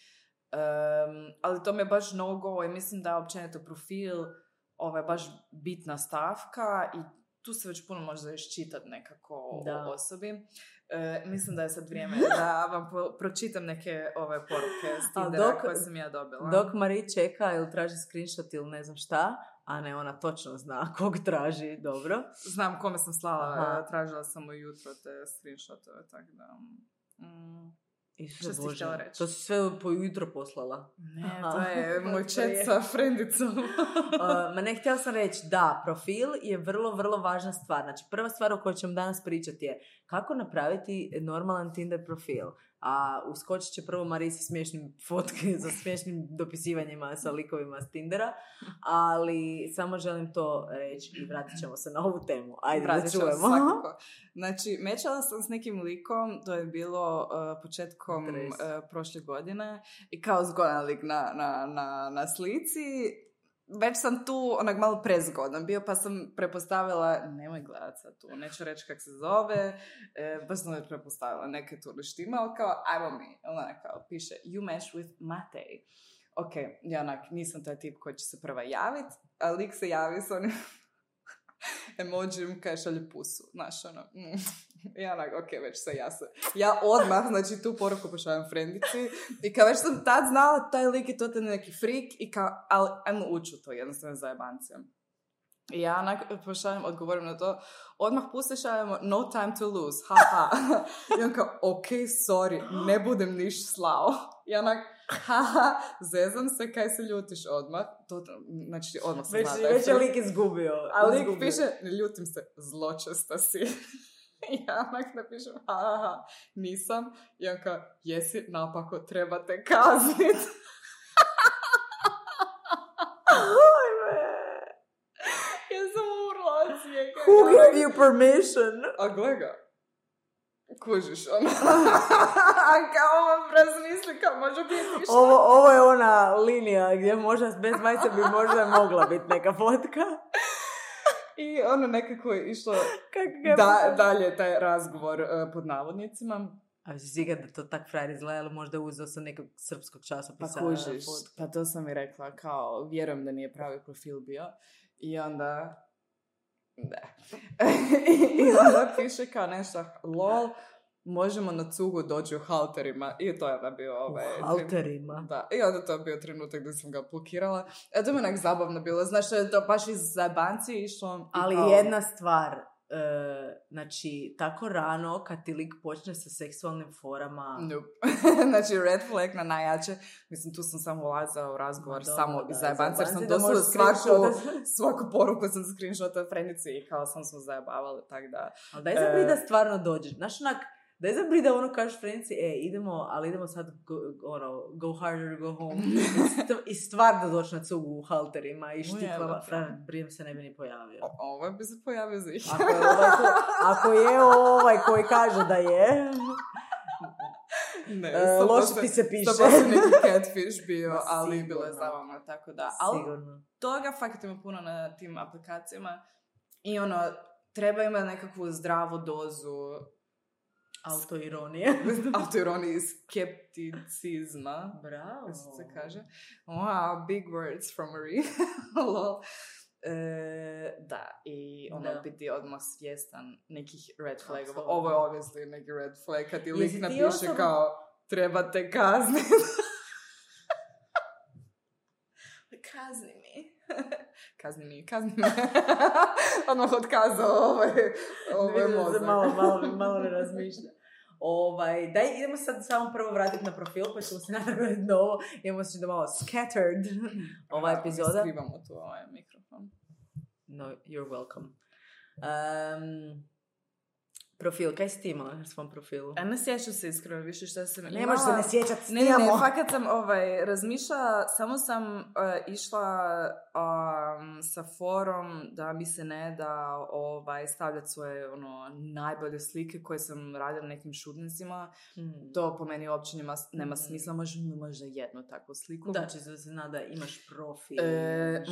Ali to mi je baš no-go i mislim da općenito profil baš bitna stavka i tu se već puno može iščitati nekako o osobi. Mislim da je sad vrijeme da vam pročitam neke poruke s Tindera koje sam ja dobila. Dok Mari čeka ili traži screenshot ili ne znam šta, a ne, ona točno zna kog traži, dobro. Znam kome sam slala, tražila sam ujutro te screenshotove, tako da... Što si htjela reći? To si sve po jutro poslala. Ne, to je moj chat sa frendicom. Ma ne, htjela sam reći, da, profil je vrlo, vrlo važna stvar. Znači, prva stvar o kojoj ćemo danas pričati je kako napraviti normalan Tinder profil. A uskočit će prvo Marisi smiješnim fotke za smiješnim dopisivanjima sa likovima s Tindera, ali samo želim to reći i vratit ćemo se na ovu temu. Ajde, da čujemo. Svakako. Znači, mečala sam s nekim likom, to je bilo početkom prošle godine i kao zgodan lik na slici. Već sam tu malo prezgodan bio, pa sam prepostavila, nemoj gledat sad tu, neću reći kak se zove, baš sam prepostavila neke tu neštima, ali kao, ajmo mi, kao, piše, you match with Matej. Ok, ja nisam taj tip koji će se prva javiti, a lik se javi s onim emojim kaj šalje pusu, Ja ok, već se ja odmah, znači tu poruku pošaljem frendici i kao već sam tad znala taj lik je totalno neki freak i kao, ali ajmo ući u to jednostavno zajebancija. I ja pošaljem, odgovorim na to, odmah šaljemo, no time to lose, haha. I on kao, ok, sorry, ne budem niš slao. I onak, haha, zezam se, kaj se ljutiš odmah. Znači, odmah se zna. Već je lik izgubio. A lik piše, ne ljutim se, zločesta si. I ja onak napišem, haha, nisam. I on kao, jesi, napako, treba te kaznit. Who gave you permission? A gle ga. Kužiš, ono. A kao ovo razmisli, kao može biti šta. Ovo je ona linija gdje možda bez majice bi možda mogla biti neka fotka. I ono nekako je išlo dalje taj razgovor pod navodnicima. A si sigurno da to tak frajer izgleda, ali možda uzeo sam nekog srpskog časopisa. Pa kužiš, pa to sam i rekla, kao vjerujem da nije pravi profil bio. I onda... Ne. I onda piše kao nešto, lol, možemo na cugu doći u halterima. I to je da bio u halterima? Da. I onda to je bio trenutak da sam ga blokirala. To je onak zabavno bilo. Znaš, to baš iz zajebancije išlo. Ali kao... jedna stvar, znači, tako rano kad ti lik počne sa seksualnim forama... Nope. Znači, red flag na najjače. Mislim, tu sam samo ulazila u razgovor samo iz zajebancije, jer sam doslovno svaku poruku sam screenshotala frenici i kao sam zajebavali, tak da... Ali daj zabri da stvarno dođeš. Znaš, onak, daj zabri da ono kažeš frenici, idemo sad, go harder, go home. I stvarno doći na cugu u halterima i štiklama. Brijem se ne bi ni pojavio. Ovaj bi se pojavio za ih. Ako je ovaj koji kaže da je... Ne, loše ti se piše. Sto posto neki catfish bio, ali bilo je zabavno, tako da. Sigurno. Ali toga fakat ima puno na tim aplikacijama i treba imati nekakvu zdravu dozu autoironije. Autoironije i skepticizma. Bravo. Se kaže. Wow, big words from Marie. Lol. Da, i biti odmah svjestan nekih red flagova. Ovo je obviously neki red flag kad ti lik napiše kao treba te kazniti. Kazni mi. Odmah otkazao ovaj mozak. Malo ne razmišlja. Daj, idemo sad samo prvo vratiti na profil, pa ćemo se napraviti novo. Idemo se da malo scattered ova epizoda. Skrivamo tu ovaj mikrofon. No, you're welcome. Profil, kaj si ti imala na svom profilu? Ne sjećam se iskreno više šta sam imala. Ne možeš se ne sjećati, Ne, fakat sam razmišljala, samo sam išla sa forom da mi se ne da stavljati svoje najbolje slike koje sam radila nekim šudnicima. To po meni uopće nema smisla, možda jednu takvu sliku. Da, čisto se zna da imaš profil.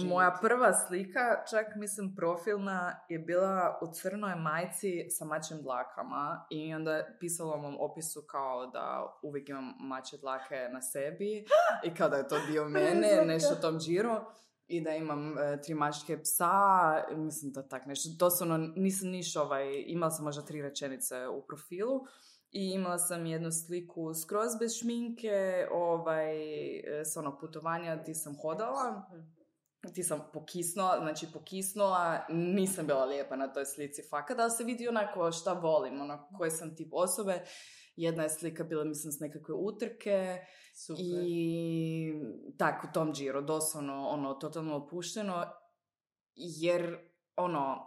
Moja prva slika, čak mislim profilna, je bila u crnoj majici sa mačim dlakama i onda pisalo u mom opisu kao da uvijek imam mačje dlake na sebi i kao da je to dio mene, nešto u tom džiru. I da imam 3 mačke psa, mislim da tak nešto. Doslovno nisam imala sam možda 3 rečenice u profilu. I imala sam jednu sliku skroz bez šminke, s onog putovanja ti sam hodala. Ti sam pokisnula, nisam bila lijepa na toj slici fakat, da se vidi onako šta volim, koji sam tip osobe. Jedna je slika bila, mislim, s nekakve utrke. Super. I tako, u tom džiru, doslovno, totalno opušteno, jer,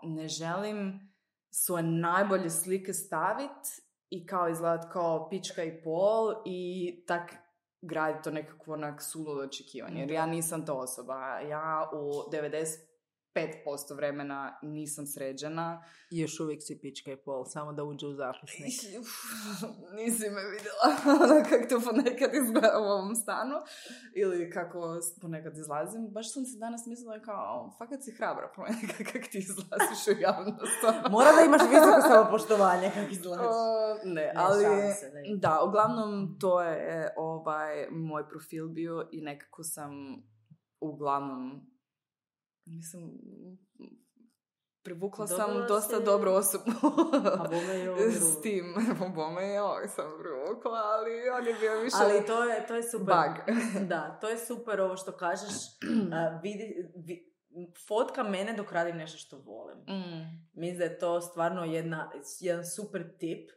ne želim svoje najbolje slike staviti i kao izgledat kao pička i pol i tak graditi to nekakvo suludo očekivanje, jer ja nisam to osoba. Ja u 95% vremena nisam sređena. I još uvijek si pička i pol, samo da uđe u zapisnik. Nisi me vidjela kako to ponekad izgleda u ovom stanu. Ili kako ponekad izlazim. Baš sam se danas mislila kao, fakat si hrabra ponekad kako ti izlaziš u javnost. Mora da imaš visoko samopoštovanje kako izlaziš. Ne, ali da, uglavnom to je moj profil bio i nekako sam uglavnom mislim, privukla sam dosta dobru osobu s tim. Bome i ovog sam privukla, ali on je bio više ali to je super. Bug. Da, to je super ovo što kažeš. fotka mene dok radim nešto što volim. Mislim da je to stvarno jedan super tip.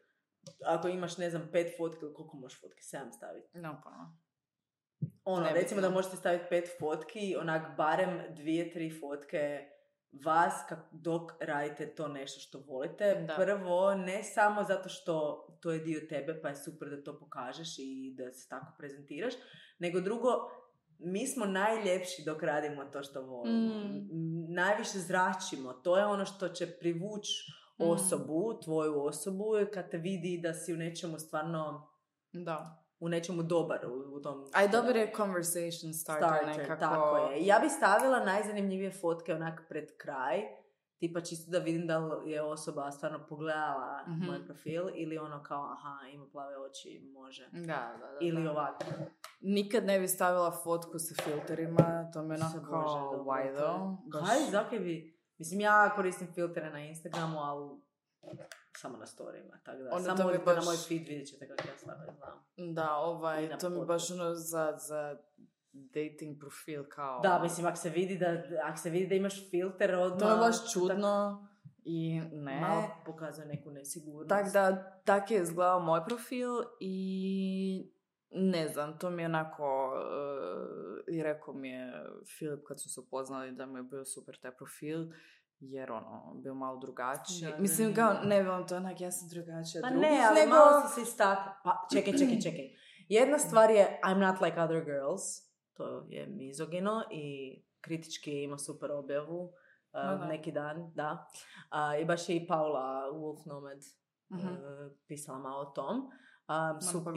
Ako imaš, ne znam, 5 fotki, koliko možeš fotki? 7 staviti? No, pa. Recimo da možete staviti 5 fotki, onak barem 2-3 fotke vas dok radite to nešto što volite. Da. Prvo, ne samo zato što to je dio tebe, pa je super da to pokažeš i da se tako prezentiraš, nego drugo, mi smo najljepši dok radimo to što volimo. Najviše zračimo. To je ono što će privući osobu, tvoju osobu, kad te vidi da si u nečemu stvarno... Da. U nečemu dobar u tom... A i dobar je conversation starter nekako. Tako je. Ja bi stavila najzanimljivije fotke onak pred kraj, tipa čisto da vidim da li je osoba stvarno pogledala moj profil ili ono kao, aha, ima plave oči, može. Da. Ili ovako. Nikad ne bi stavila fotku sa filterima, to me onako why though. Kaj, zakaj bi... Mislim, ja koristim filtere na Instagramu, ali... samo na storyima, tako da. Onda samo odite baš... na moj feed, vidjet ćete kako ja slabo znam. Da, to mi baš ono za dating profil kao... Da, mislim, ako se vidi da imaš filter odmah... To je baš čudno i ne... Malo pokazuje neku nesigurnost. Tako da, tako je izgledao moj profil i ne znam, to mi je onako... I rekao mi je Filip kad su se upoznali da mi je bio super taj profil, jer bio malo drugačiji. Mislim, kao, ne vam to onak, ja sam drugačija od drugih. Pa ne, ali malo si se istakla. Pa, čekaj. Jedna stvar je I'm not like other girls. To je mizogino i kritički je imao super objavu neki dan, da. I baš je i Paula Wolf Nomad pisala malo o tom.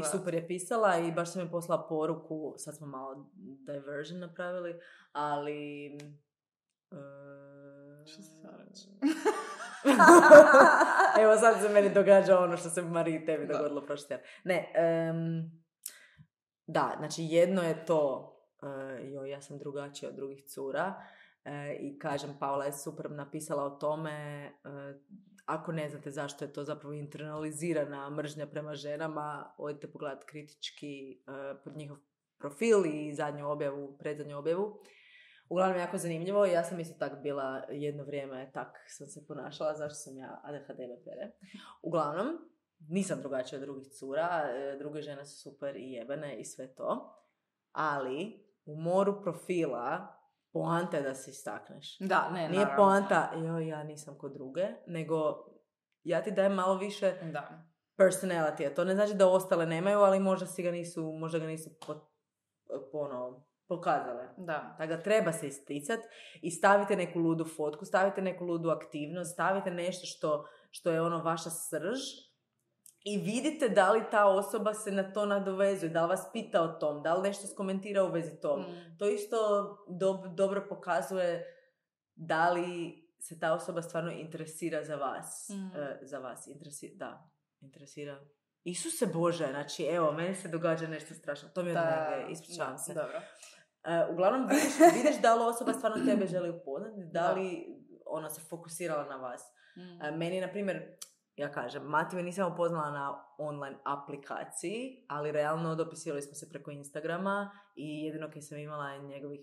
I super je pisala i baš sam mi poslala poruku, sad smo malo diversion napravili, ali... Što se sad reći? Evo sad se meni događa ono što se Mariji tebi dogodilo prošli tjedan. Ne, da, znači jedno je to, ja sam drugačija od drugih cura i kažem, Paula je super napisala o tome, ako ne znate zašto je to zapravo internalizirana mržnja prema ženama, odite pogledati kritički pod njihov profil i predzadnju objavu. Uglavnom, jako zanimljivo. Ja sam isto tak bila jedno vrijeme, tak sam se ponašala, zašto sam ja ADHD pere. Uglavnom, nisam drugačija od drugih cura, druge žene su super i jebene i sve to. Ali, u moru profila, poanta je da se istakneš. Da, ne, nije poanta, ja nisam kod druge, nego ja ti dajem malo više personality. To ne znači da ostale nemaju, ali možda ga nisu pokazale. Da. Tako da treba se isticati i stavite neku ludu fotku, stavite neku ludu aktivnost, stavite nešto što je ono vaša srž i vidite da li ta osoba se na to nadovezuje, da li vas pita o tom, da li nešto skomentira u vezi tom. To isto dobro pokazuje da li se ta osoba stvarno interesira za vas. Interesira. Isuse Bože, znači evo, meni se događa nešto strašno. To mi je od negdje, ispričavam se. Dobro. Uglavnom vidiš da li osoba stvarno tebe želi upoznati, da li ona se fokusirala na vas. Meni, na primjer, ja kažem, Matiju nisam upoznala na online aplikaciji, ali realno dopisivali smo se preko Instagrama i jedino kad sam imala njegovih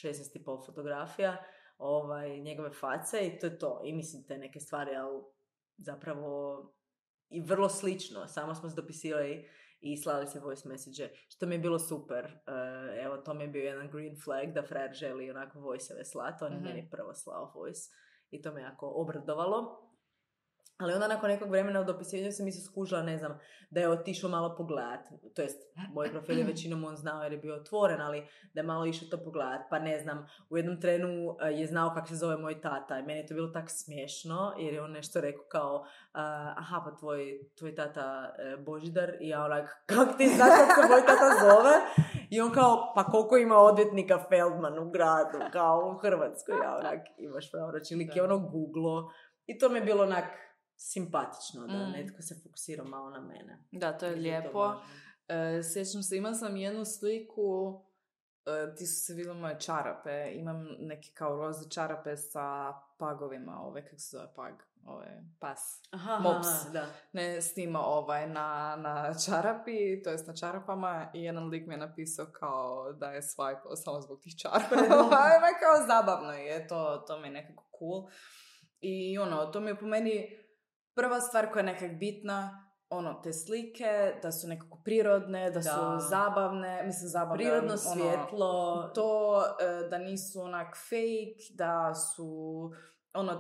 16,5 fotografija, njegove face i to je to. I mislim te neke stvari, ali zapravo i vrlo slično. Samo smo se dopisivali i slali se voice message, što mi je bilo super. Evo, to mi je bio jedan green flag da frajer želi onako voice-eve slati. On je meni prvo slao voice i to me jako obradovalo. Ali onda nakon nekog vremena u dopisivanju sam se skužila, ne znam, da je otišao malo pogledat. To jest, moj profil je većinom on znao jer je bio otvoren, ali da je malo išao to pogledat. Pa ne znam, u jednom trenu je znao kako se zove moj tata i meni je to bilo tak smiješno jer je on nešto rekao kao aha, pa tvoj tata Božidar i ja onak, kako ti znaš kako se moj tata zove? I on kao, pa koliko ima odvjetnika Feldman u gradu, kao u Hrvatskoj, ja onak, imaš pravo reći, lik je ono googlo i to mi je bilo onak simpatično da netko se fokusira malo na mene. Da, to je lijepo. Sjećam se, imala sam jednu sliku, ti su se vidjeli moje čarape, imam neke kao roze čarape sa pagovima, kako se zove pag? pas. Mops. Da. Ne snima na čarapi, to jest na čarapama, i jedan lik mi je napisao kao da je swipe samo zbog tih čarapa. Kao zabavno je, to mi je nekako cool. I to mi je po meni prva stvar koja je nekak bitna, te slike, da su nekako prirodne, da su zabavne, mislim zabavne. Prirodno svjetlo. To, da nisu onak fake, da su,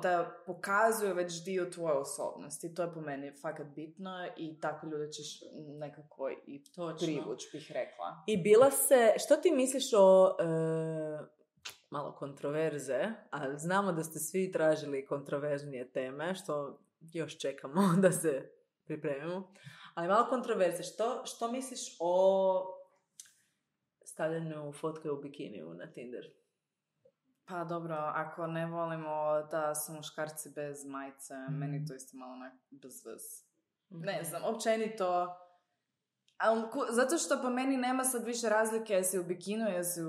da pokazuju već dio tvoje osobnosti. To je po meni fakat bitno i tako ljude ćeš nekako i privući, bih rekla. I što ti misliš o... malo kontroverze, a znamo da ste svi tražili kontroverznije teme, što još čekamo da se pripremimo. Ali malo kontroverze. Što misliš o stavljanju fotke u bikiniju na Tinder? Pa dobro, ako ne volimo da su muškarci bez majice, meni to isto malo bez vez. Ne znam, općenito... Zato što po meni nema sad više razlike jesi u bikinu, jesi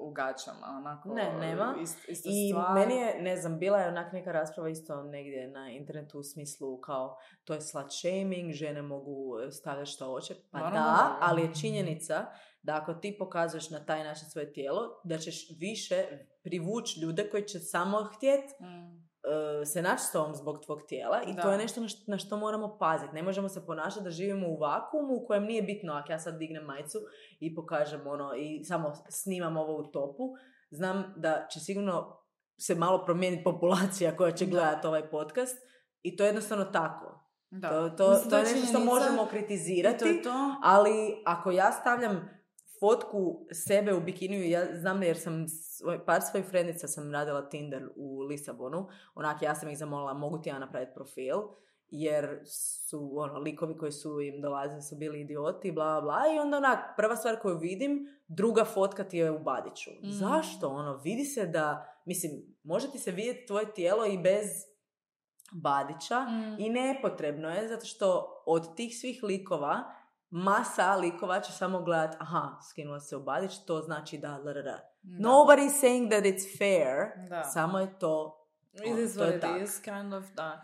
u gačama, onako. Ne, nema. Ista i stvar. Meni je, ne znam, bila je onak neka rasprava isto negdje na internetu u smislu kao to je slut shaming, žene mogu stavljati što hoće. Pa da, ali je činjenica da ako ti pokazuješ na taj način svoje tijelo, da ćeš više privući ljude koji će samo htjeti se naći s tobom zbog tvog tijela i to je nešto na što moramo paziti. Ne možemo se ponašati da živimo u vakuumu u kojem nije bitno ako ja sad dignem majicu i pokažem i samo snimam ovo u topu. Znam da će sigurno se malo promijeniti populacija koja će gledati ovaj podcast i to je jednostavno tako. To je nešto što možemo kritizirati, ali ako ja stavljam fotku sebe u bikiniju, ja znam jer sam par svojih frendica sam radila Tinder u Lisabonu, ja sam ih zamolila mogu ti ja napraviti profil, jer su likovi koji su im dolazili su bili idioti, bla bla, i onda prva stvar koju vidim, druga fotka ti je u Badiću. Zašto? Vidi se da, mislim, može ti se vidjeti tvoje tijelo i bez Badića i nepotrebno je, zato što od tih svih likova masa likova će samo gledat, skinula se u Badić, to znači da. Nobody is saying that it's fair, samo je to. It is what it is, kind of, da.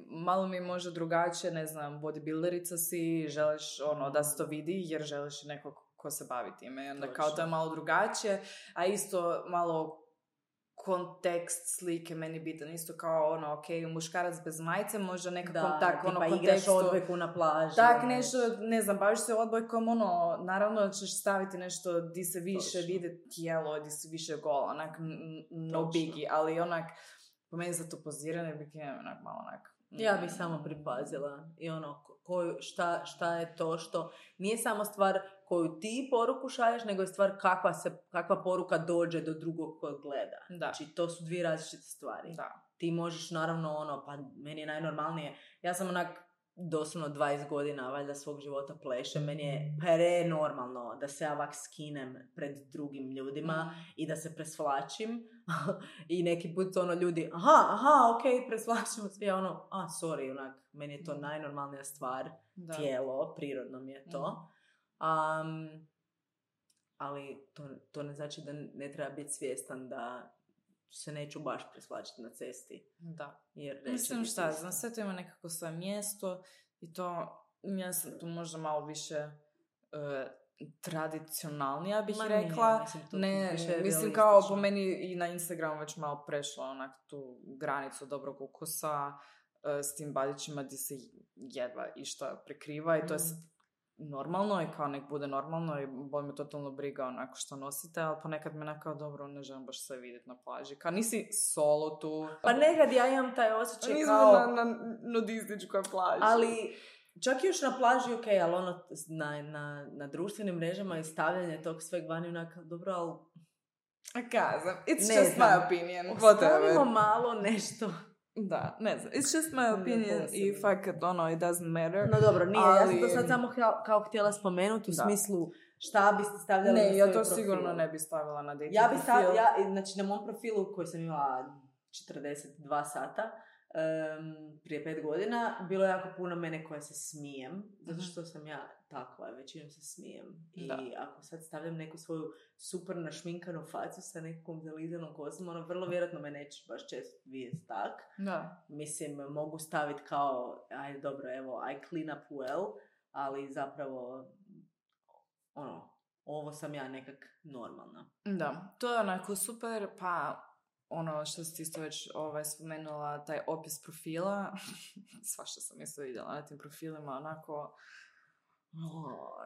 Malo mi može drugačije, ne znam, bodybuilderica si, želiš da se to vidi, jer želiš nekog ko se bavi time. Onda kao to je malo drugačije, a isto malo kontekst slike meni bitan, isto kao muškarac bez majice, možda nekakvom kontekstu. Pa igraš odbojku na plaži. Tak, nešto, ne znam, baviš se odbojkom, naravno ćeš staviti nešto di se više vide tijelo, di se više gola, onak, no biggie, ali po meni za to pozirane bikine, malo Ja bih samo pripazila i šta je to što nije samo stvar koju ti poruku šalješ, nego je stvar kakva poruka dođe do drugog kojeg gleda. Da. Znači, to su dvije različite stvari. Da. Ti možeš, naravno, pa meni je najnormalnije. Ja sam doslovno 20 godina, valjda, svog života plešem. Meni je prenormalno da se ja ovak skinem pred drugim ljudima i da se presvlačim. I neki put ljudi, ok, presvlačimo se. Ja sorry, meni je to najnormalnija stvar. Da. Tijelo, prirodno mi je to. Ali to ne znači da ne treba biti svjestan da se neću baš presvlačiti na cesti. Da. Jer mislim šta, znam, sve to ima nekako svoje mjesto i to, ja sam tu možda malo više tradicionalnija bih rekla. Mislim kao po meni i na Instagramu već malo prešla tu granicu dobrog ukusa s tim Badićima gdje se jedva išta prekriva i to je normalno i kao nek bude normalno i boli me totalno briga što nosite, ali ponekad me nekao dobro, ne želim baš sve vidjeti na plaži. Kao nisi solo tu. Pa nekad ja imam taj osjećaj nisam kao... na nudističkoj plaži. Ali čak još na plaži ok, ali na društvenim mrežama i stavljanje tog sveg vani dobro, ali... Kazam, it's just my opinion. Ostavimo malo nešto... Da, ne znam. It's just my opinion i fakat, it doesn't matter. No dobro, nije. Ali... Ja sam to sad samo kao htjela spomenuti u smislu šta biste stavljali na svoj profil. Ne, ja to sigurno ne bi stavila na dating profil. Znači, na mom profilu koji sam imala 42 sata, prije 5 godina, bilo je jako puno mene koja se smijem, zato što sam ja takva, većinom se smijem. I ako sad stavljam neku svoju super našminkanu facu sa nekom zalizanom kosom, ono vrlo vjerojatno me neće baš često vidjeti tak. Da. Mislim, mogu staviti kao, ajde dobro, evo, I clean up well, ali zapravo, ono, ovo sam ja nekak normalna. Da, to je onako super, pa ono što si isto već spomenula, taj opis profila, svašta sam isto vidjela na tim profilima, onako...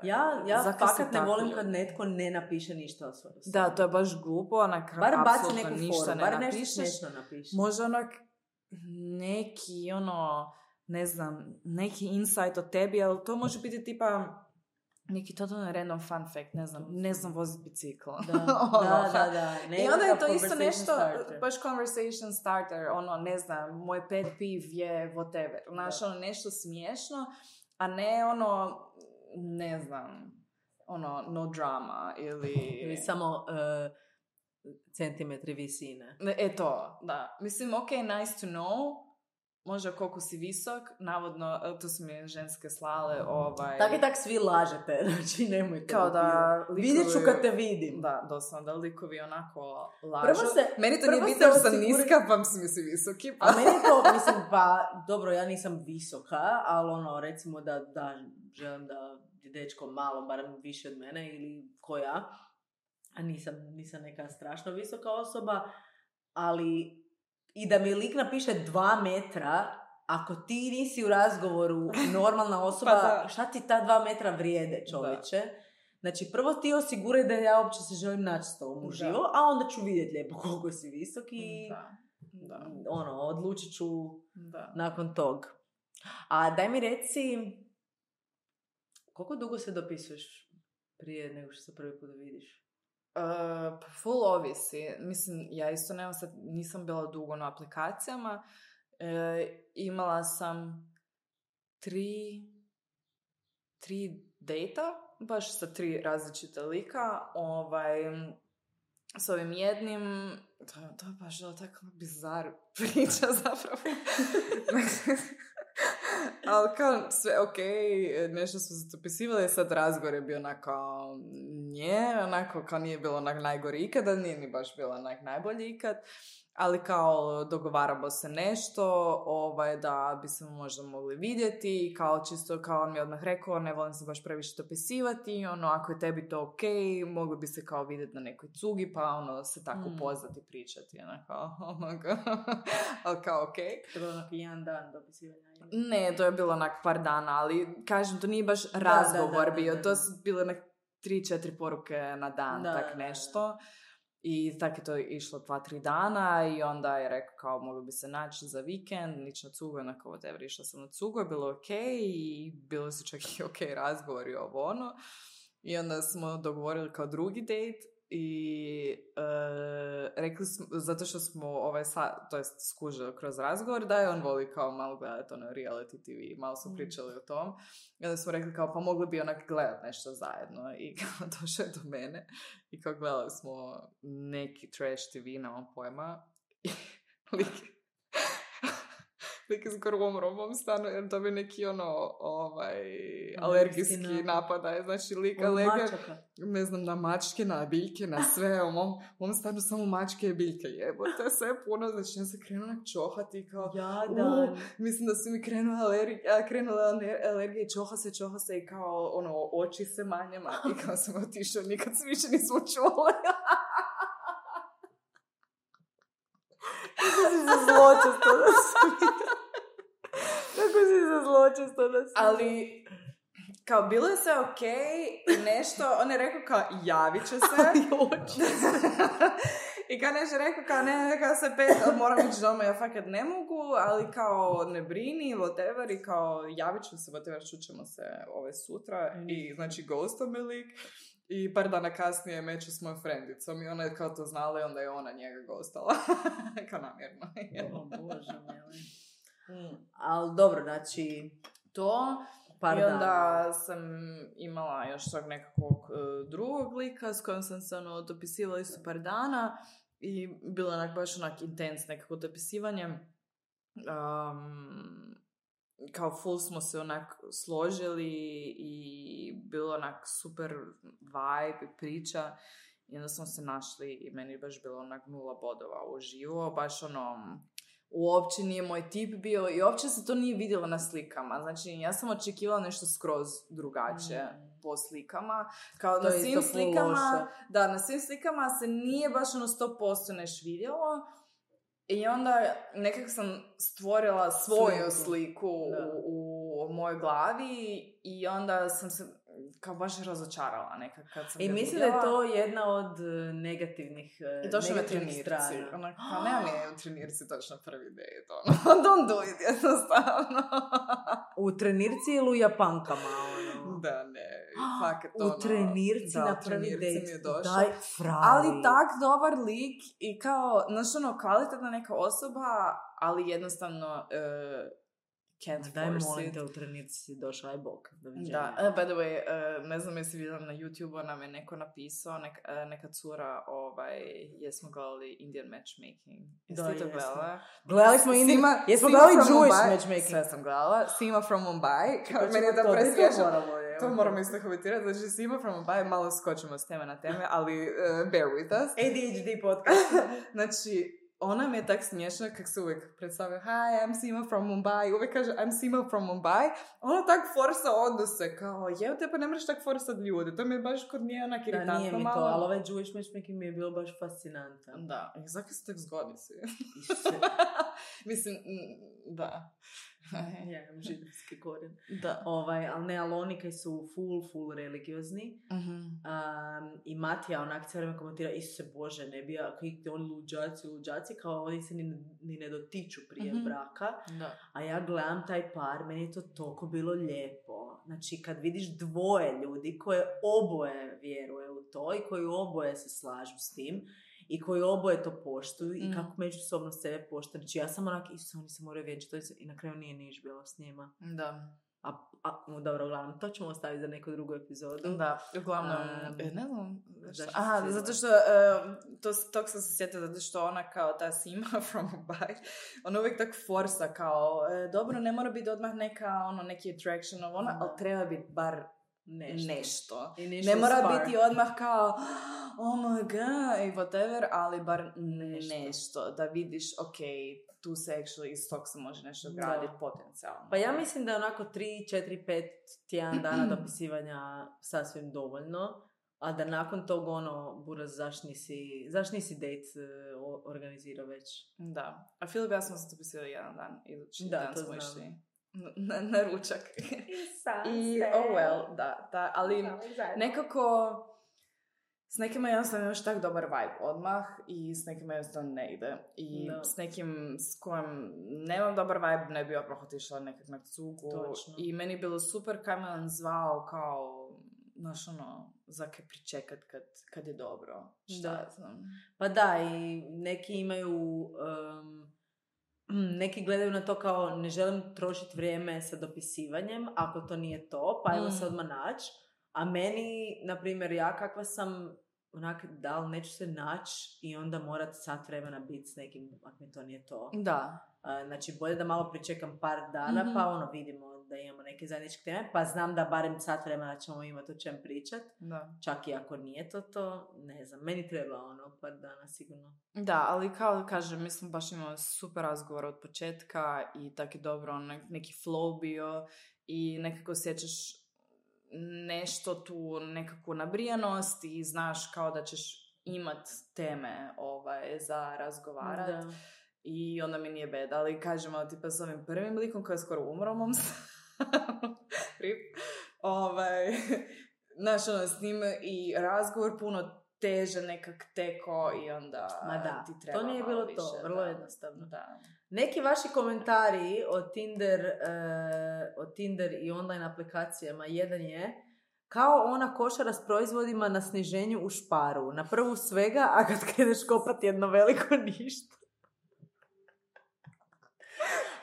Ja fakat ne volim kad netko ne napiše ništa o svojoj osobi. Da, to je baš glupo, onak bar baci neku ništa foru, bar nešto smiješno napiše. Možda onak neki, ne znam, neki insight o tebi, ali to može biti tipa neki totalno random fun fact, ne znam voziti bicikl. Da. I onda je to isto nešto, baš conversation starter, ne znam, moj pet peeve je whatever. Znaš, nešto smiješno, a ne ne znam, no drama ili samo centimetri visine. To, da. Mislim, nice to know, možda koliko si visok, navodno, to su mi ženske slale, Tak svi lažete, znači nemojte. Kao da likovi... Vidjet ću kad te vidim. Da, doslovno, da likovi onako lažu. Meni to nije bitno što sam niska, pa mislim si visoki. Pa. A meni to, mislim, pa, dobro, ja nisam visoka, ali recimo da želim da je dečko malo, barem više od mene, ili ko ja, a nisam neka strašno visoka osoba, ali i da mi lik napiše 2 metra, ako ti nisi u razgovoru normalna osoba, pa šta ti ta 2 metra vrijede, čovječe? Da. Znači, prvo ti osiguraj da ja uopće se želim naći s tobom uživo, a onda ću vidjeti lijepo koliko si visok i odlučit ću nakon tog. A daj mi reci, koliko dugo se dopisuješ prije nego što se prvi put vidiš? Full ovisi. Mislim, ja isto nisam bila dugo na aplikacijama. Imala sam 3 dejta, baš sa 3 različita lika. S ovim jednim, to je baš bila tako bizar priča zapravo. Ali kao sve nešto smo se dopisivali, sad razgovor je bio onako kao nije bilo najgori ikada, nije ni baš bilo najbolji ikad, ali kao dogovaramo se nešto, da bi se možda mogli vidjeti, kao čisto kao on mi odmah rekao, ne volim se baš previše dopisivati, ako je tebi to mogli bi se kao vidjeti na nekoj cugi, pa se tako upoznati, pričati, ali kao To je bilo jedan dan dopisivanja? Ne, to je bilo par dana, ali kažem, to nije baš razgovor bio, to su bile 3-4 poruke na dan, nešto. I tako je to išlo 2-3 dana i onda je rekao kao mogli bi se naći za vikend, nić na cugu, onako whatever, išla sam na cugu, je bilo i bilo su čak i razgovori I onda smo dogovorili kao drugi date i rekli smo, zato što smo skužili kroz razgovor, da je on voli kao malo gledati reality TV, malo su pričali o tom. I onda smo rekli kao pa mogli bi gledati nešto zajedno i kao došao je do mene i kao gledali smo neki trash TV, nemam pojma i lik je skoro umro u mom stanu jer dobio neki alergijski napadaj, znači lik alergija, ne znam, na mačke, na biljke, na sve, u mom stanu samo mačke i biljke, jebote, to je sve puno, znači ja se krenula čohati i kao, mislim da su mi krenule alergije, čoha se i kao, oči se manjama i kao sam otišao, nikad se više nismo čule. Kako si se zločesto da si... Ali, kao, bilo je sve i nešto, on je rekao kao, javit će se. I kao nešto rekao kao, ne, kao se moram ići doma, ja fakat ne mogu, ali kao, ne brini, whatever, i kao, javit ću se, whatever, čućemo se sutra. I, znači, ghostao me lik. I par dana kasnije meću s mojom frendicom i ona je kao to znala i onda je ona njega ghostala. Kao namjerno. Bože mili. Ali dobro, znači... To... I onda sam imala još tog nekakvog drugog lika s kojim sam se dopisivala isto par dana i bilo baš intens nekako dopisivanje. kao full smo se onak složili i bilo onak super vibe i priča. I onda smo se našli i meni je baš bilo onak 0 bodova uživo, baš ono, uopće nije moj tip bio i uopće se to nije vidjelo na slikama. Znači, ja sam očekivala nešto skroz drugačije po slikama. Kao na svim slikama, da, na svim slikama se nije baš ono 100% neš vidjelo. I onda nekako sam stvorila svoju sliku u mojoj glavi i onda sam se kao baš razočarala nekak kad sam I mislim da je to jedna od negativnih i došlo me negativnih strana. Kao nema mi u trenirci točno prvi date, ono. Don't do it, jednostavno. U trenirci ili u japankama, ono? Da, ne, fakat ono. U trenirci na prvi date, daj frali. Ali tak dobar lik i kao, znaš ono, kvalitetna neka osoba, ali jednostavno can't force it. Daj molim te, u trenirci si došla, aj bok, doviđenja. Da, by the way, ne znam jesi vidjela na YouTube-u, nam je neko napisao, neka cura, jesmo gledali Indian matchmaking. Jeste li to gledala? Gledali smo jesmo gledali Jewish matchmaking. Sve sam gledala. Sima from Mumbai. Meni je da presjećam. To moramo isto komentirati. Znači, Sima from Mumbai, malo skočimo s teme na teme, ali bear with us. ADHD podcast. Znači, ona mi je tak smiješna kak se uvijek predstavlja hi, I'm Sima from Mumbai. Uvijek kaže I'm Sima from Mumbai. Ona tak forsa odnose kao te pa ne mreš tak forsat ljude. To mi je baš kod nje onak iritantno malo. Da, nije mi to, ali ovaj Jewish matchmaking mi je bilo baš fascinantan. Da, i zakaj se tak zgodi si? Mislim, da. Ja imam židovski korijen. Da. Ali oni kaj su full religiozni. I Matija onak cijelo vreme komentira, Isuse Bože, ne bi ja, oni luđaci, kao oni se ni ne dotiču prije braka. Da. A ja gledam taj par, meni je to toliko bilo lijepo. Znači, kad vidiš dvoje ljudi koje oboje vjeruje u to i koji oboje se slažu s tim, i koji oboje to poštuju i kako međusobno sebe poštuju. Znači ja sam onak, Isuse, oni se moraju vjenčati i na kraju nije niš bilo s njima. Da. Dobro, uglavnom, to ćemo ostaviti za neku drugu epizodu. Da, uglavnom, ne znam. Zato što, tog sam se sjetila, zato što ona kao ta Sima from Mumbai, ona uvijek tak forsa kao, dobro, ne mora biti odmah neki attraction, ali treba biti bar nešto. Ne mora biti odmah kao oh my god, i whatever, ali bar nešto. Da vidiš, ok, tu se actually iz tog se može nešto graditi potencijalno. Pa ja mislim da je onako 3, 4, 5 tjedan dana dopisivanja sasvim dovoljno, a da nakon tog buraz, zaš nisi date organizirao već. Da. A Filip, ja smo se dopisivali jedan dan, idući dan smo išli na ručak. I da, ali nekako s nekima jednostavno imaš tak dobar vibe odmah i s nekima jednostavno ne ide. I s nekim s kojim nemam dobar vibe ne bi odmah otišla nekak na cugu. Točno. I meni je bilo super kad me on zvao kao, znaš zakaj pričekat kad je dobro. Šta znam. Pa da, i neki imaju... neki gledaju na to kao ne želim trošiti vrijeme sa dopisivanjem ako to nije to, pa ajmo se odmah naći. A meni, na primjer, ja kakva sam onak, da li neću se naći i onda morat sat vremena biti s nekim, ako mi to nije to. Da. Znači, bolje da malo pričekam par dana, pa vidimo da imamo neke zajedničke teme, pa znam da barem sat vremena ćemo imati o čem pričat. Da. Čak i ako nije to, ne znam, meni treba par dana sigurno. Da, ali kao kažem, mislim baš imamo super razgovor od početka i tako je dobro, neki flow bio i nekako osjećaš nešto tu, nekakvu nabrijanost i znaš kao da ćeš imat teme za razgovarat. Da. I onda mi nije bed, ali kažemo tipa s ovim prvim likom koji je skoro umro u mom rip. Znaš, s njim i razgovor puno teže nekak teko i onda ti treba to nije bilo više, to, vrlo jednostavno. Da. Neki vaši komentari o Tinder i online aplikacijama, jedan je kao ona košara s proizvodima na sniženju u Šparu. Na prvu svega, a kad kreneš kopati jedno veliko ništa.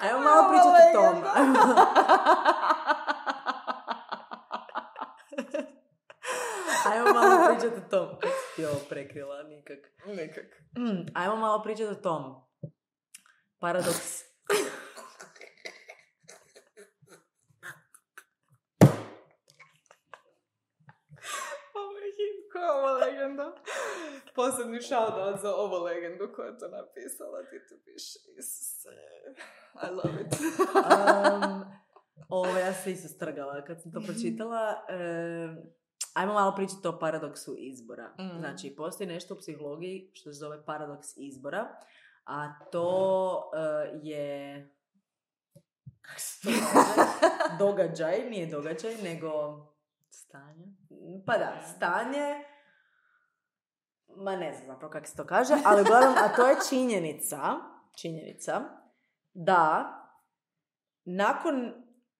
Ajmo malo pričati o tome. Ajmo malo pričati o tom. Kako si ti ovo prekrila? Nikak. Nikak. Ajmo malo pričati o tom. Paradoks Koja ova legenda? Posebni shoutout za ovu legendu koja je to napisala. Ti to piše. Isuse. I love it. Ja se isto strgala kad sam to pročitala. Ajmo malo pričati o paradoksu izbora. Znači, postoji nešto u psihologiji što se zove paradoks izbora, a to je... Kako se to kaže? Događaj, nije događaj, nego... Stanje? Pa da, stanje... Ma ne znam zapravo kako se to kaže, ali uglavnom, a to je činjenica da nakon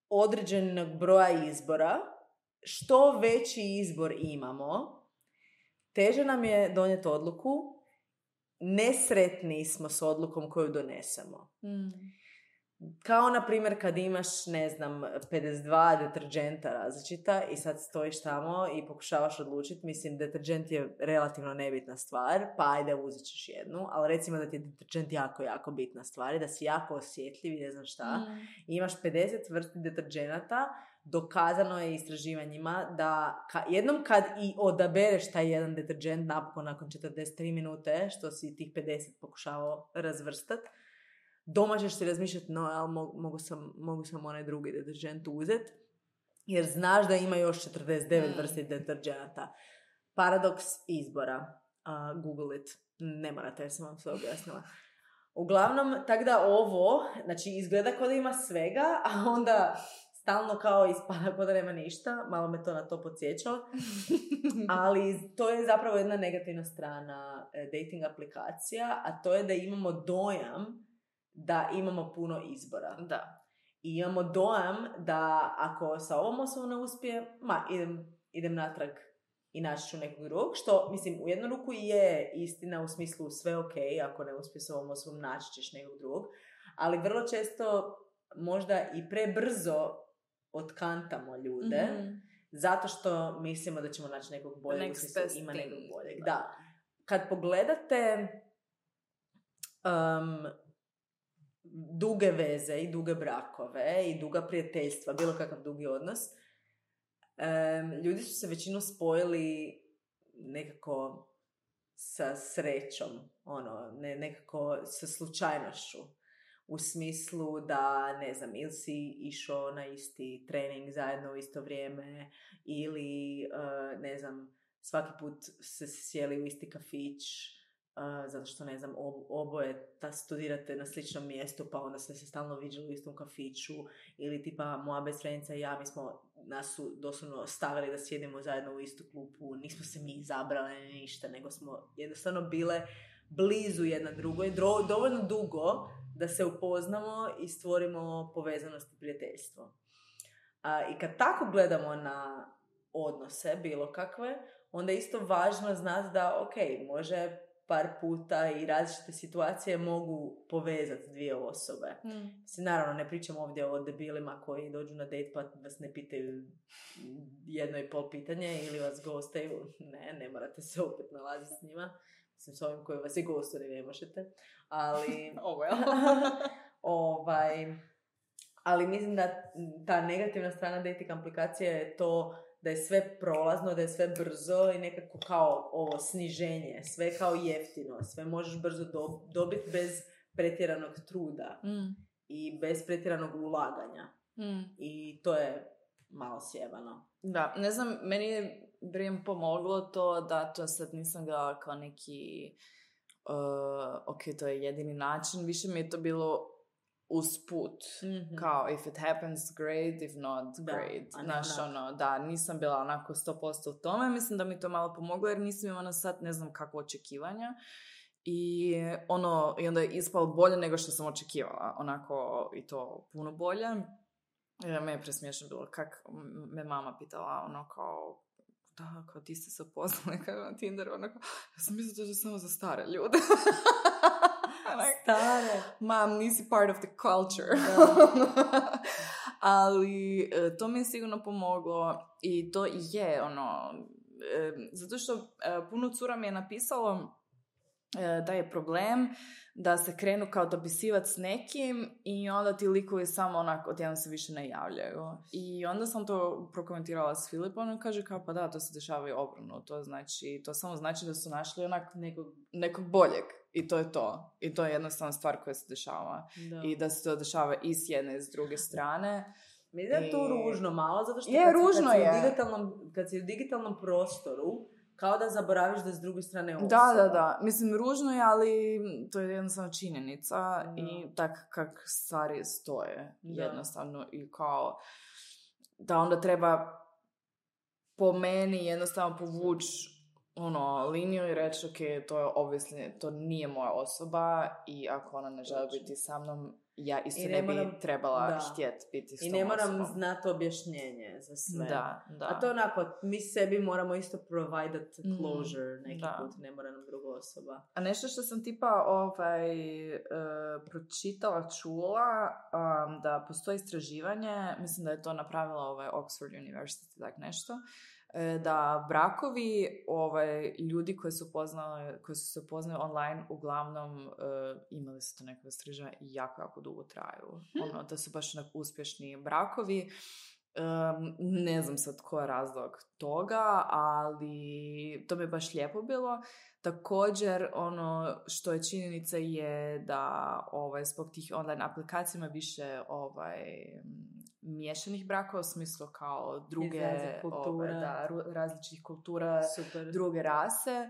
određenog broja izbora, što veći izbor imamo, teže nam je donijeti odluku, nesretni smo s odlukom koju donesemo. Kao, na primjer, kad imaš, 52 deterđenta različita i sad stojiš tamo i pokušavaš odlučiti, mislim, deterđent je relativno nebitna stvar, pa ajde, uzet ćeš jednu, ali recimo da ti je deterđent jako, jako bitna stvar i da si jako osjetljiv i ne znam šta, i imaš 50 vrsti deterđenata, dokazano je istraživanjima da jednom kad i odabereš taj jedan deterđent napokon nakon 43 minute, što si tih 50 pokušavao razvrstati, doma ćeš si razmišljati, no, ali mogu sam onaj drugi deterđent uzeti, jer znaš da ima još 49 vrsti deterđenata. Paradoks izbora. Google it. Ne morate, jer sam vam sve objasnila. Uglavnom, tako da ovo, znači, izgleda kao da ima svega, a onda stalno kao ispada kao da nema ništa. Malo me to na to podsjećalo. Ali to je zapravo jedna negativna strana dating aplikacija, a to je da imamo dojam da imamo puno izbora. Da. I imamo dojam da ako sa ovom osobom ne uspije, idem natrag i naći ću nekog drugog, što, mislim, u jednu ruku je istina u smislu sve ok, ako ne uspije sa ovom osobom naći ćeš nekog drugog, ali vrlo često možda i prebrzo otkantamo ljude, zato što mislimo da ćemo naći nekog boljeg, u smislu ima nekog boljeg. Da. Kad pogledate duge veze i duge brakove i duga prijateljstva, bilo kakav dugi odnos, ljudi su se većinom spojili nekako sa srećom, nekako sa slučajnošću. U smislu da, ne znam, ili si išao na isti trening zajedno u isto vrijeme, ili, ne znam, svaki put se sjeli u isti kafić, zato što, ne znam, oboje studirate na sličnom mjestu, pa onda ste se stalno viđali u istom kafiću, ili tipa moja best friendica i ja, nas su doslovno stavili da sjedimo zajedno u istu klupu, nismo se mi izabrali ništa, nego smo jednostavno bile blizu jedna drugoj, dovoljno dugo da se upoznamo i stvorimo povezanost i prijateljstvo. I kad tako gledamo na odnose, bilo kakve, onda je isto važno znati da, ok, može par puta i različite situacije mogu povezati dvije osobe. Naravno, ne pričam ovdje o debilima koji dođu na date pa vas ne pitaju 1,5 pitanje ili vas gostaju. Ne morate se opet nalaziti s njima. Mislim, s ovim koji vas i gostuje ne možete. Ali... ali mislim da ta negativna strana dating aplikacije je to da je sve prolazno, da je sve brzo i nekako kao ovo sniženje, sve kao jeftino, sve možeš brzo dobiti bez pretjeranog truda i bez pretjeranog ulaganja. I to je malo sjebano. Da, ne znam, meni je pomoglo to da to sad nisam gledala kao neki ok, to je jedini način, više mi je to bilo usput, kao if it happens great, if not great. Znaš, da, nisam bila onako 100% u tome, mislim da mi to malo pomoglo jer nisam imala sad ne znam kakvo očekivanja i onda je ispalo bolje nego što sam očekivala, onako i to puno bolje. Me je presmiješno bilo kak me mama pitala kao ti ste se upoznali na Tinderu, ja sam mislila da je samo za stare ljude. Stare. Mam, nisi part of the culture. Ali to mi je sigurno pomoglo i to je zato što puno cura mi je napisalo da je problem da se krenu kao dopisivati s nekim i onda ti likovi samo onako odjednom se više ne javljaju. I onda sam to prokomentirala s Filipom i kaže kao pa da, to se dešava i obrnuto. To samo znači da su našli onak nekog boljeg. I to je to. I to je jednostavna stvar koja se dešava. Da. I da se to dešava i s jedne i s druge strane. Mislim da je to ružno malo, zato što kad si u digitalnom prostoru, kao da zaboraviš da s druge strane osoba. Da. Mislim, ružno je, ali to je jednostavno činjenica i tak kak stvari stoje jednostavno. I kao da onda treba po meni jednostavno povući liniju i reći ok, to je obviously, to nije moja osoba i ako ona ne želi biti sa mnom, ja isto ne bi trebala htjeti biti s tom osobom. I ne moram znati objašnjenje za sve. Da. A to onako, mi sebi moramo isto providat closure neki put, ne mora nam druga osoba. A nešto što sam tipa pročitala, čula, da postoji istraživanje, mislim da je to napravila Oxford University, tak nešto, da brakovi ljudi koji su se poznali online uglavnom imali su to nekakve istraživanja i jako dugo traju. Da su baš uspješni brakovi. Ne znam sad ko je razlog toga, ali to mi je baš lijepo bilo. Također, što je činjenica je da zbog tih online aplikacijama više miješanih brakova, u smislu kao druge različitih kultura, super. Druge rase,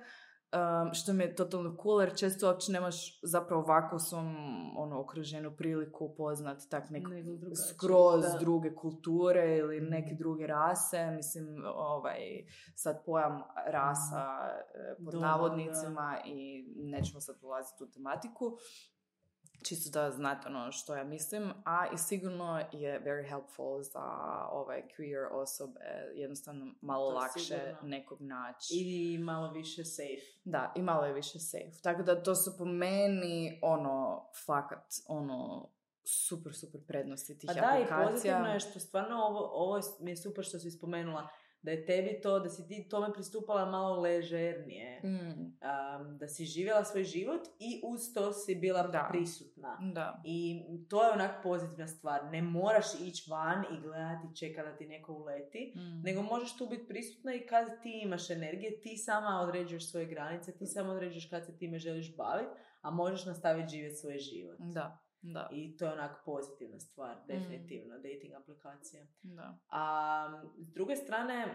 što mi je totalno cool, jer često uopće nemaš zapravo ovako u svom okruženju priliku upoznati tak skroz druge kulture ili neke druge rase. Mislim, sad pojam rasa pod navodnicima i nećemo sad ulaziti u tematiku. Čisto da znate što ja mislim, a i sigurno je very helpful za queer osobe, jednostavno malo lakše sigurno nekog naći. I malo više safe. Da, i malo je više safe. Tako da to su po meni, fakat, super prednosti tih aplikacija. Da, i pozitivno je što stvarno ovo mi je super što si spomenula, da je tebi to, da si ti tome pristupala malo ležernije, da si živjela svoj život i uz to si bila prisutna. Da. I to je onak pozitivna stvar. Ne moraš ići van i gledati, čekati da ti neko uleti, nego možeš tu biti prisutna i kad ti imaš energije, ti sama određuješ svoje granice, ti sama određuješ kad se time želiš baviti, a možeš nastaviti živjeti svoj život. Da. I to je onak pozitivna stvar, definitivno, dating aplikacija. Da. A s druge strane,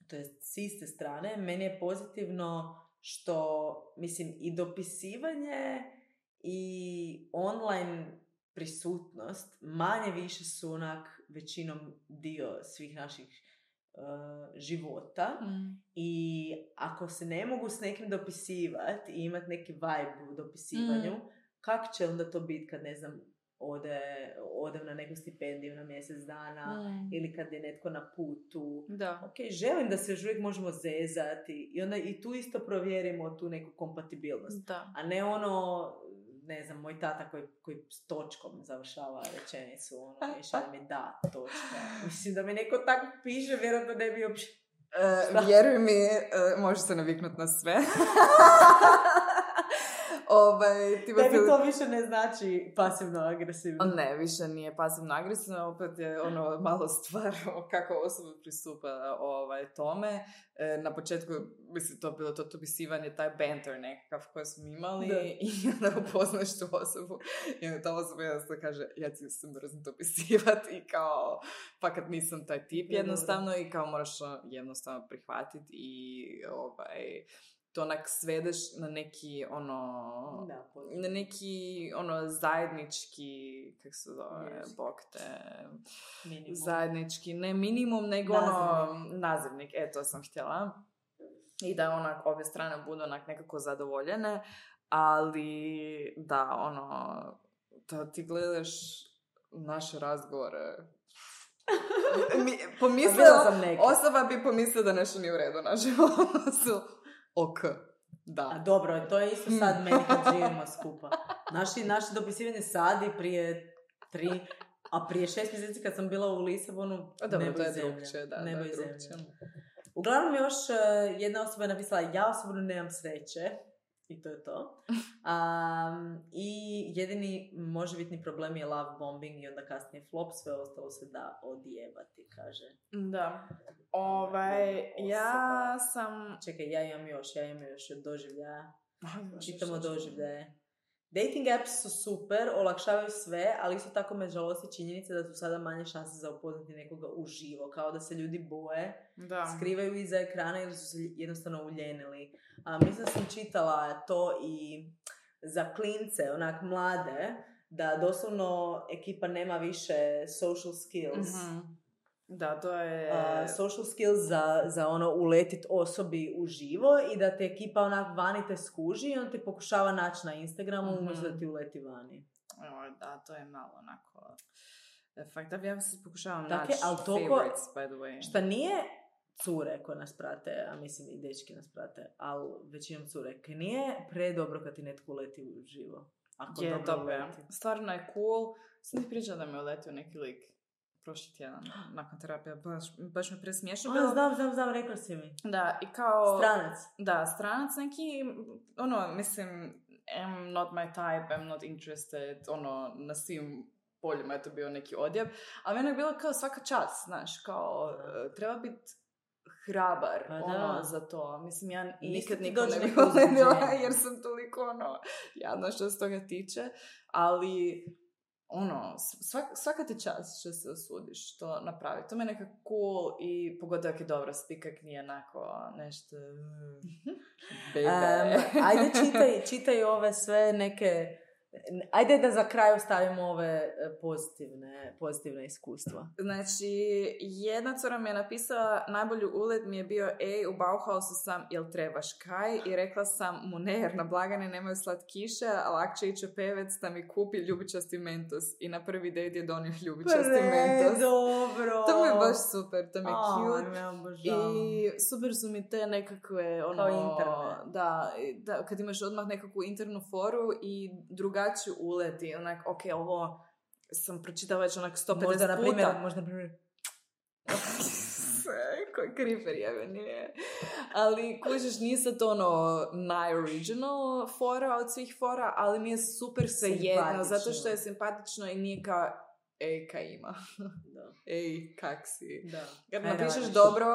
to je s iste strane, meni je pozitivno što, mislim, i dopisivanje i online prisutnost manje više su onak većinom dio svih naših života i ako se ne mogu s nekim dopisivati i imati neki vibe u dopisivanju, kako će onda to biti kad, ne znam, odem na neku stipendiju na mjesec dana ili kad je netko na putu. Da. Ok, želim da se još uvijek možemo zezati i onda i tu isto provjerimo tu neku kompatibilnost. Da. A ne ne znam, moj tata koji s točkom završava rečenicu, i šalje mi da, točka. Mislim da mi neko tako piše, vjerojatno ne bi uopće... Vjeruj mi, možeš se naviknuti na sve. Tebi to više ne znači pasivno-agresivno. Ne, više nije pasivno-agresivno, opet je malo stvar kako osoba pristupa tome. Na početku, mislim, to bilo to dopisivanje, taj banter nekakav koji smo imali i onda upoznaš tu osobu i onda ta osoba jednostavno kaže, ja ti se mrzim dopisivati i kao, pa kad nisam taj tip jednostavno i kao moraš jednostavno prihvatiti i to onak svedeš na neki na neki zajednički, kako se zove, bokte, zajednički, ne minimum, nego nazivnik, to sam htjela. I da onak obje strane budu onak nekako zadovoljene, ali da da ti gledaš naše razgovore, osoba bi pomislila da nešto nije u redu na životu. Ok, da. A dobro, to je isto sad meni kad živimo skupa. Naše dopisivanje sad i prije 3, a prije 6 mjeseci kad sam bila u Lisabonu, nebo i zemlja. Nebo i zemlja. Uglavnom još jedna osoba je napisala, ja osobno nemam sreće I to je to. I jedini možebitni problem je love bombing i onda kasnije flop, sve ostalo se da odjebati, kaže. Da. Ja sam... Čekaj, ja imam još od doživljaja. Čitamo doživljaje. Dating apps su super, olakšavaju sve, ali isto tako me žalosti činjenica da su sada manje šanse za upoznati nekoga uživo, kao da se ljudi boje, skrivaju iza ekrana ili su se jednostavno uljenili. Mislim da sam čitala to i za klince, onak mlade, da doslovno ekipa nema više social skills. Mm-hmm. Da, to je... social skills za ono uletit osobi uživo i da te ekipa onak vani te skuži i on te pokušava naći na Instagramu umjesto da ti uleti vani. Da, to je malo onako... Fakt, da ja se pokušavam naći favorites, by the way. Šta nije cure koje nas prate, a mislim i dečki nas prate, ali većinom cure, kaj nije predobro kad ti netko uleti uživo. Ako je, dobro uleti. uleti. Stvarno je cool. Sam ti pričala da mi je uletio neki lik prošli tjedan, nakon terapije, baš mi presmiješno. Znam, rekla si mi. Da, i kao... Stranac. Da, stranac neki, mislim, I'm not my type, I'm not interested, na svim poljima je to bio neki odjeb, a meni je bilo kao svaka čast, znaš, kao, treba biti hrabar, za to. Mislim, ja nikad nikom ne bih voljela, jer sam toliko, jadna što se toga tiče, ali... svaka ti čast što se usudiš to napraviti. To me je nekako cool i pogotovo je dobra spikak, nije onako nešto bebe. Ajde čitaj ove sve neke... Ajde da za kraj stavimo ove pozitivne iskustva. Znači, jedna cura mi je napisala, najbolji ulet mi je bio, u Bauhausu sam, jel trebaš kaj? I rekla sam mu ne, jer na blagane nemaju slatkiše, a lakše ići u pevec da mi kupi ljubičasti mentos. I na prvi date je donio ljubičasti mentos. Dobro! To mi je baš super, to mi je cute. I super su mi te nekakve, kao interne. Da, kad imaš odmah nekakvu internu foru i drugačiju uleti, onak, ok, ovo sam pročitala već onak 150 puta. Možda na primjer. Koji kriper jebe, nije. Ali kužiš, nije sad najoriginal fora od svih fora, ali mi je super svejedno, zato što je simpatično i nije kao, kaj ima. Da. Kak si. Da. Kad napišeš dobro,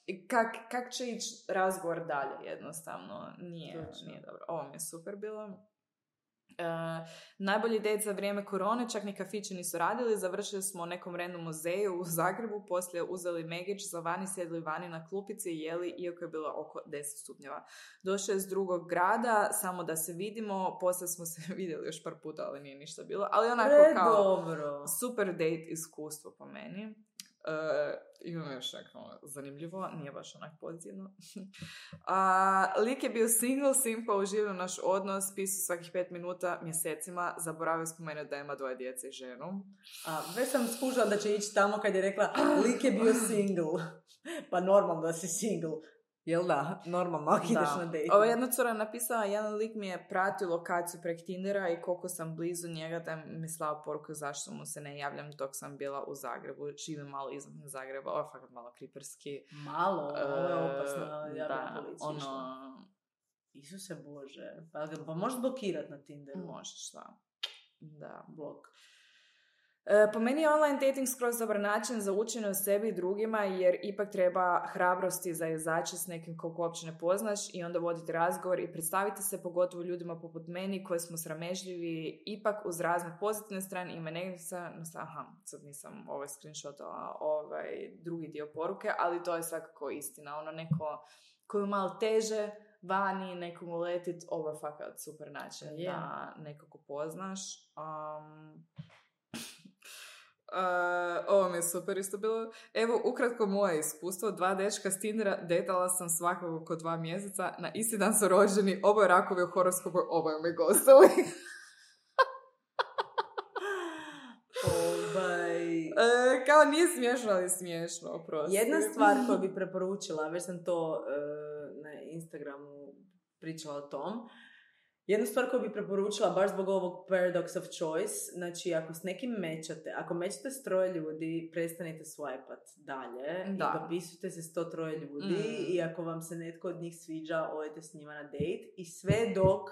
i kak će ići razgovor dalje, jednostavno. Nije dobro. Ovo mi je super bilo. Najbolji date za vrijeme korone, čak ni kafići nisu radili, završili smo u nekom random muzeju u Zagrebu, poslije uzeli megić za vani, sjedli vani na klupici i jeli, iako je bilo oko 10 stupnjeva. Došao je iz drugog grada, samo da se vidimo, poslije smo se vidjeli još par puta, ali nije ništa bilo, ali onako kao super date iskustvo po meni. Imam još neko zanimljivo, nije baš onak pozitivno. Lik je bio single, simpa, uživio naš odnos, pisao svakih 5 minuta, mjesecima, zaboravio spomenuti da ima 2 djece i ženu. Već sam skužila da će ići tamo kad je rekla lik je bio single. Pa normalno da si single. Jel da? Normalno, ako ideš na date. Ova jedna cura napisala, jedan lik mi je pratio lokaciju prek Tindera i koliko sam blizu njega, da mi slao poruku zašto mu se ne javljam dok sam bila u Zagrebu. Živim malo izvan Zagreba, ovo je fakat malo kriperski. Malo? Ovo je opasno, ja bih policiju. Isuse Bože. Pa možeš blokirat na Tinderu? Možeš, da. Blok. Po meni je online dating skroz dobar način za učenje o sebi i drugima, jer ipak treba hrabrosti za izaći s nekim koliko uopće ne poznaš i onda voditi razgovor i predstaviti se, pogotovo ljudima poput meni koji smo sramežljivi, ipak uz razne pozitivne strane. Ima negdje sad nisam screenshotala drugi dio poruke, ali to je svakako istina. Neko koju malo teže vani, nekom uletit, ovo je fakat super način da nekako poznaš. Ovo mi je super isto bilo. Evo, ukratko moje iskustvo. 2 dečka s Tindera, detala sam svakog oko 2 mjeseca. Na isti dan su rođeni, oboje rakovi u horoskopu, oboje mi gostali. Kao nije smiješno, ali smiješno, oprosti. Jedna stvar koju bi preporučila, već sam to na Instagramu pričala o tom, Jednu stvar koju bi preporučila, baš zbog ovog paradox of choice, znači ako s nekim mećate, ako mećate s 3 ljudi, prestanite swipat dalje i dopisujte se s 103 ljudi i ako vam se netko od njih sviđa, odite s njima na date i sve dok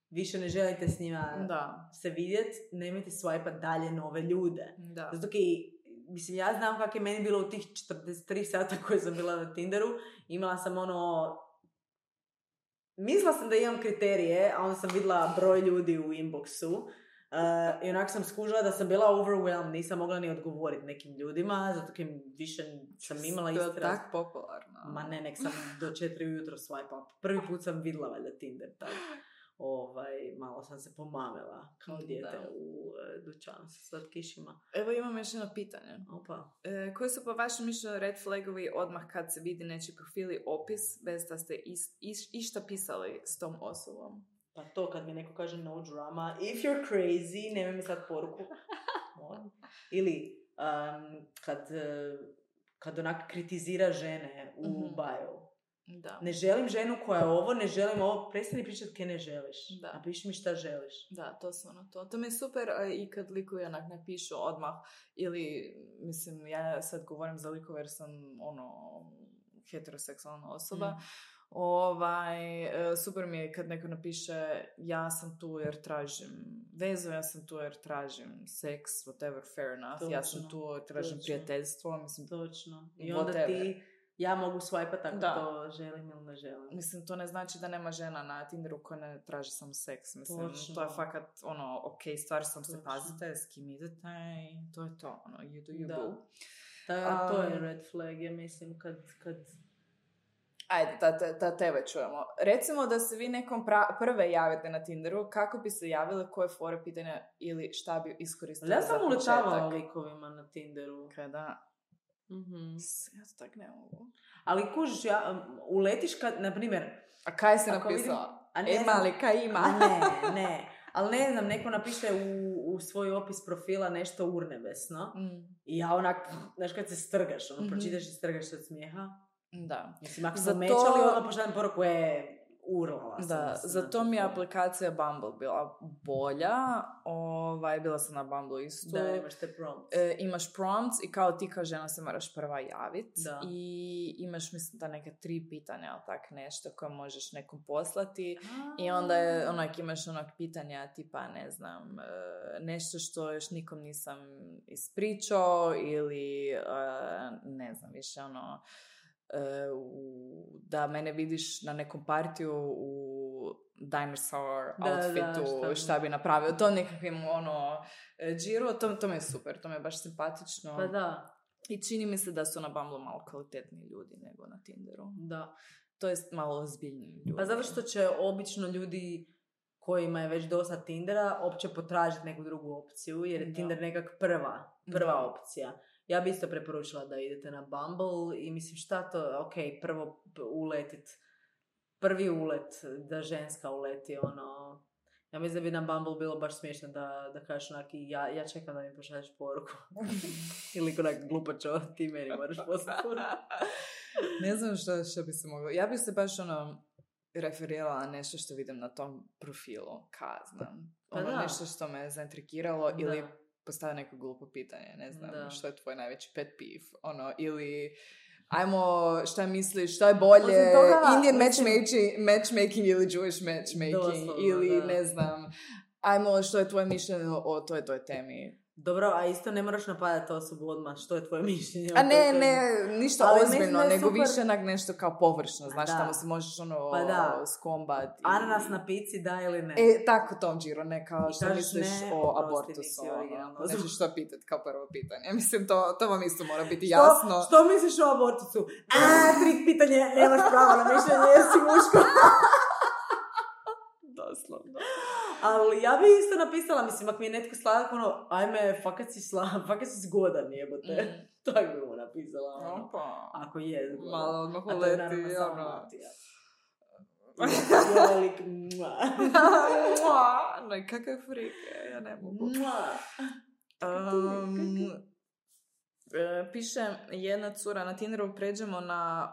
više ne želite s njima se vidjeti, nemojte swipat dalje nove ljude. Zato mislim, ja znam kako je meni bilo u tih 43 sata koje sam bila na Tinderu, imala sam mislila sam da imam kriterije, a onda sam vidjela broj ljudi u inboxu i onako sam skužila da sam bila overwhelmed, nisam mogla ni odgovoriti nekim ljudima, zato jer više sam imala isti raz. To je tako popularno. Ma ne, nek sam do 4 ujutro swipe. Prvi put sam vidjela valjda Tinder, tako. Malo sam se pomamila kao dijete u dućanu sa slatkišima. Evo imam još jedno pitanje. Opa. Koji su po vašem mišljenju red flagovi odmah kad se vidi nečiji profil i opis bez da ste išta pisali s tom osobom? Pa to kad mi neko kaže no drama, if you're crazy, nemoj mi sad poruku. Ili kad onak kritizira žene u bio. Da. Ne želim ženu koja je ovo, ne želim ovo, prestani pričati kaj ne želiš. Napiši mi šta želiš. Da, to su to. To mi je super i kad likovi onak napišu odmah ili, mislim, ja sad govorim za likove jer sam heteroseksualna osoba. Super mi je kad neko napiše ja sam tu jer tražim vezu, ja sam tu jer tražim seks, whatever, fair enough. Točno, ja sam tu jer tražim prijateljstvo. Mislim, točno. I onda ja mogu swipati ako to želim ili ne želim. Mislim, to ne znači da nema žena na Tinderu koja ne traži samo seks. Mislim, to je fakat, ok, stvar sam se pazite, s kim idete i to je to, you do you boo. To je red flag, ja mislim, kad... Ajde, da tebe čujemo. Recimo da se vi nekom prve javite na Tinderu, kako bi se javile, koje fore pitanja ili šta bi iskoristili za početak? Ja sam uletavala likovima na Tinderu. Kada? Ja to tak ne mogu. Ali kužiš, uletiš kad, na primjer... A kaj si napisala? Kaj ima? Ne. Ali ne znam, neko napiše u svoj opis profila nešto urnebesno. I ja onak, znaš kad se strgaš, pročitaš i strgaš se od smijeha. Da. Mislim, ako sam mečali, onda pošaljem poruku urlala sam. Da, zato mi je aplikacija Bumble bila bolja. Bila sam na Bumble isto. Da, imaš te prompts. Imaš prompts i kao ti kao žena se moraš prva javiti. I imaš, mislim, da neke 3 pitanja, ali tak nešto koje možeš nekom poslati. I onda je, imaš pitanja tipa, ne znam, nešto što još nikom nisam ispričao ili, ne znam, više da mene vidiš na nekom partiju u dinosaur outfitu, šta bi napravio, to nekakvim džiru, to mi je super, to mi je baš simpatično. Pa da. I čini mi se da su na Bumble malo kvalitetniji ljudi nego na Tinderu. Da. To je malo ozbiljniji ljudi. Pa zato što će obično ljudi kojima je već dosta Tindera opće potražiti neku drugu opciju, jer je Tinder nekak prva opcija. Ja bi isto preporučila da idete na Bumble i mislim šta to, prvo uletit, prvi ulet, da ženska uleti, ja mislim da bi na Bumble bilo baš smiješno da kažeš ja čekam da mi pošalješ poruku. Ili onak glupačo, ti meni moraš poslati poruku. Ne znam što bi se moglo, ja bi se baš referirala na nešto što vidim na tom profilu, znam. Nešto što me zaintrigiralo ili postavio neko glupo pitanje, ne znam, što je tvoj najveći pet peeve, ili šta misliš, šta je bolje, Indian matchmaking ili Jewish matchmaking, ili ne znam, što je tvoje mišljenje o toj temi. Dobro, a isto ne moraš napadati osobu odmah, što je tvoje mišljenje? A ne, ništa ozbiljno, nego više nešto kao površno, znaš, tamo se možeš skombat. Ananas na pici, da ili ne? Tako tom džiru, ne kao što misliš o abortusu. Znači što pitat kao prvo pitanje. Mislim, to vam isto mora biti jasno. Što misliš o abortusu? Trik pitanje, nemaš pravo na mišljenje, jer si muško. Doslovno. Ali ja bi isto napisala, mislim, ako mi je netko sladak, ajme, fakat si zgodan, jebote. Tako bi mu napisala, ako je zgodan. Malo odmah uleti, Velik, kakav frike, ja ne mogu. Piše jedna cura na Tinderu, pređemo na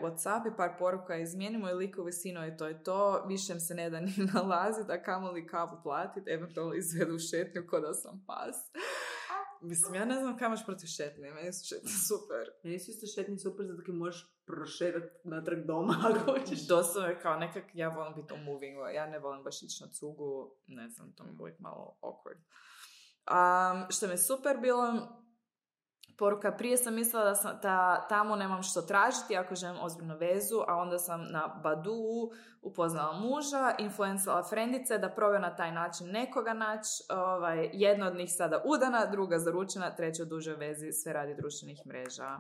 Whatsapp i par poruka izmijenimo i likovi sino i to je to. Više se ne da ni nalaziti, a kamoli kavu platiti, eventualno izvedu šetnju ko da sam pas. Mislim, ja ne znam kaj imaš protiv šetnje, meni su šetnje super. Meni su isto šetnje super zato ki možeš prošetati natrag doma ako hoćeš. Doslovno je kao nekak, ja volim biti on moving, ja ne volim baš ići na cugu, ne znam, to mi je uvijek malo awkward. Što mi je super bilo, poruka, prije sam mislila da tamo nemam što tražiti ako želim ozbiljnu vezu, a onda sam na Badoo upoznala muža, influencala frendice da probaju na taj način nekoga naći. Jedna od njih sada udana, druga zaručena, treća u dužoj vezi, sve radi društvenih mreža.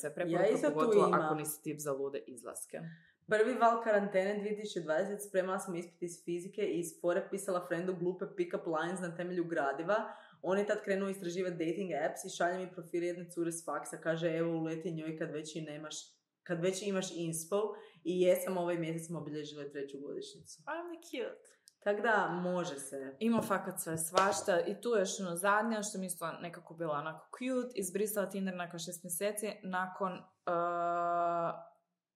Sve preporuka, pogotovo ako nisi tip za lude izlaske. Prvi val karantene 2020 spremala sam ispit iz fizike i iz fore pisala frendu glupe pick-up lines na temelju gradiva. On je tad krenuo istraživati dating apps i šalje mi profil jedne cure s faksa. Kaže, evo uleti njoj kad već imaš inspo. I jesam ovaj mjesec smo obilježile 3. godišnjicu. I'm cute. Tako da, može se. Ima fakat sve svašta. I tu je još ono zadnja, što mi isto nekako bila onako cute. Izbrisala Tinder nakon 6 mjeseci. Nakon...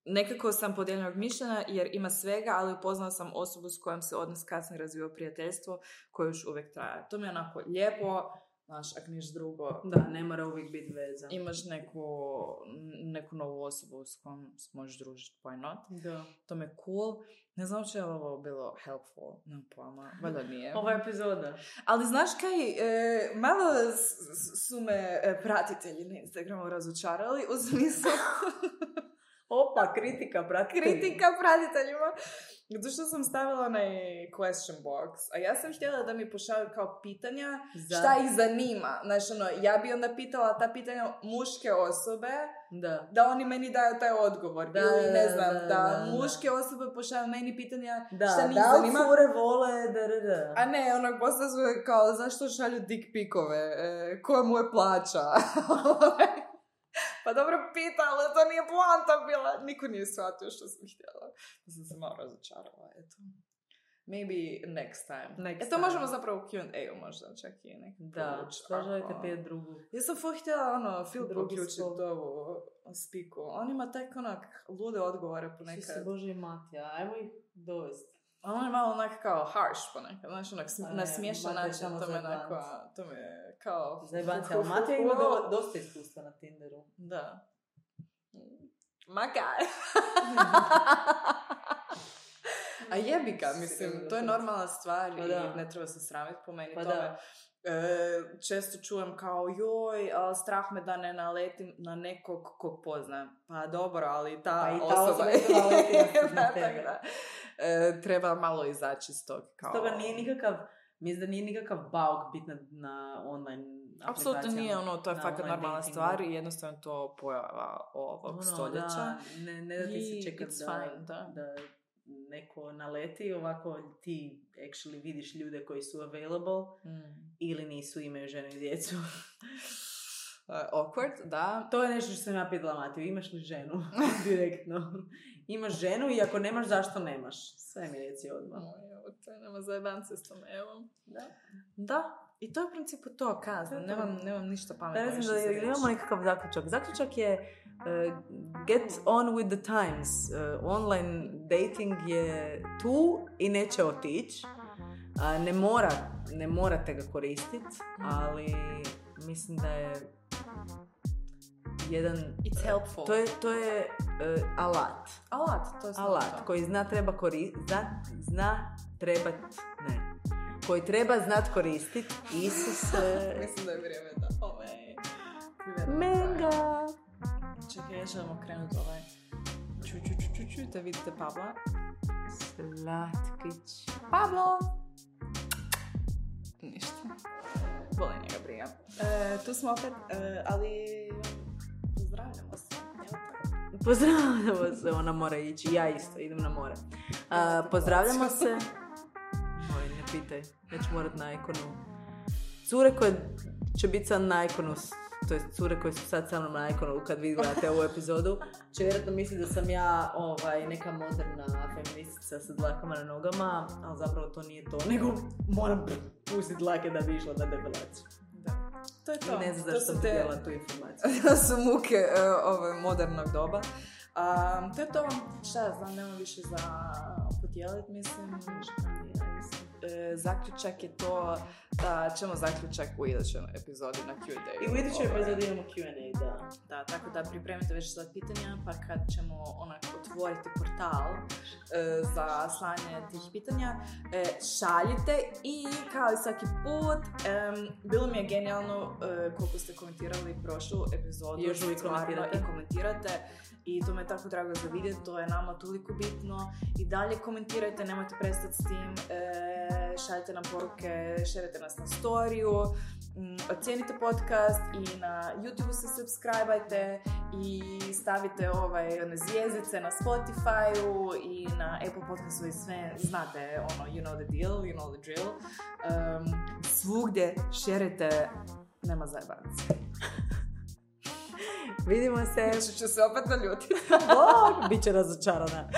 Nekako sam podijeljenog mišljenja jer ima svega, ali upoznala sam osobu s kojom se odnos kasnije razvio prijateljstvo koje još uvijek traje. To mi je onako lijepo, znaš, ako niš drugo. Da, ne mora uvijek biti veza. Imaš neku novu osobu s kojom možeš družiti, why not? Da. To mi je cool. Ne znam če je ovo bilo helpful, nemam pojma, valjda nije. Ova epizoda. Ali znaš kaj, malo su me pratitelji na Instagramu razočarali u smislu... Opa, kritika pratiteljima. Zato što sam stavila onaj question box, a ja sam htjela da mi pošalju kao pitanja šta ih zanima. Znači, ja bi onda pitala ta pitanja muške osobe, da oni meni daju taj odgovor. Ili ne znam, da muške osobe pošalju meni pitanja šta njih zanima. Da cure vole, A ne, onak posta su kao, zašto šalju dick pikove, koja mu je plaća. Pa dobro pita, ali to nije poanta bila. Niko nije shvatio što sam htjela. Sam se malo razočarala, eto. Maybe next time. To možemo zapravo u Q&A-u možda čak i neki da, što želite pet drugu. Ja sam htjela Filip uključiti ovu spiku. On ima tak onak lude odgovore ponekad. Svi se Bože i Matija, ajmo ih dovesti. On je malo onak kao harsh ponekad, znaš, onak na smiješan način, to me je kao... Zajebanci, ali Matija ima dosta iskustva na Tinderu. Da. Makaj! A jebi ga, mislim, to je normalna stvar i ne treba se sramiti po meni tome. Često čujem kao joj, strah me da ne naletim na nekog kog poznam. Pa dobro, ali ta osoba na tebe. Treba malo izaći iz tog. Stoga nije nikakav, mislim da nije nikakav bauk biti na online aplikacijama. Apsolutno nije, to je fakat normalna stvar i jednostavno to pojava ovog stoljeća. Da, ne da ti se čekati da neko naleti, ovako ti actually vidiš ljude koji su available ili nisu, imaju ženu i djecu. Awkward, da. To je nešto što sam ja pitala Matiju, imaš li ženu? Direktno. Imaš ženu i ako nemaš, zašto nemaš? Sve mi reci odmah. Nema zajebance s tom, evo. Da. I to je u principu to, kazno. Nemam ništa pametno. Da, da imamo nekakav zaključak. Zaključak je get on with the times. Online dating je tu i neće otići. Ne morate ga koristiti, ali mislim da je jedan... It's helpful. To je alat. Alat, to je alat koji koji treba znat koristiti. Isuse. Mislim da je vrijeme da Menga. Čekaj, želimo krenuti da vidite Pabla. Slatkić. Pablo! Ništa. Boli njega briga. Tu smo opet, ali pozdravljamo se. Pozdravljamo se, ona mora ići. Ja isto, idem na more. Pozdravljamo se. Moj, ne pitaj. Ja ću morat na ikonu. Cure koje će biti sad na ikonu, to je cure koje su sad sa mnom na ikonu kad vi gledate ovu epizodu, će vjerojatno misliti da sam ja neka moderna feministica sa dlakama na nogama, ali zapravo to nije to, nego moram pustiti dlake da bi išla na debelaciju. Da. to je to. Ne znam zašto To mi dijela tu informaciju. To su muke modernog doba. To je to. Šta ja znam, nema više za podijeliti, mislim. Zaključak je to da ćemo zaključak u idućoj epizodi na Q&A. I u idućoj epizodi imamo Q&A, da. Da, tako da pripremite već za pitanja, pa kad ćemo otvoriti portal za slanje tih pitanja, šaljite i kao i svaki put, bilo mi je genijalno koliko ste komentirali prošlu epizodu. Još uvijek komentirate. I to me je tako drago za vidjeti, to je nama toliko bitno. I dalje komentirajte, nemojte prestati s tim, šaljite nam poruke, šerite nas na storiju, ocijenite podcast i na YouTube se subscribe-ajte i stavite zvjezdice na Spotify-u i na Apple podcastu i sve, znate, you know the deal, you know the drill. Svugdje šerite, nema zajebanac. Vidimo se. Ću se opet naljutiti. Biće razočarana.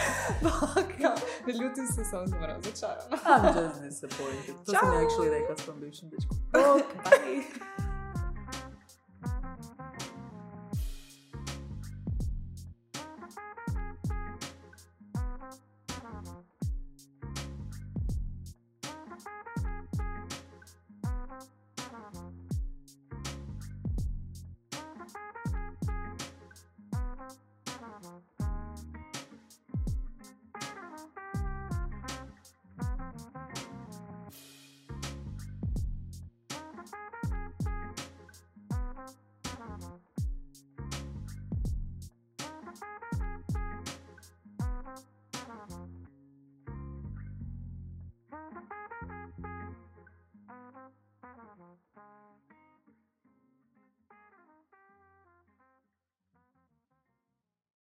Ne ljutim se, samo sam razočarana. I'm just disappointed. To sam actually rekla s tom bivšim dečkom. Bye.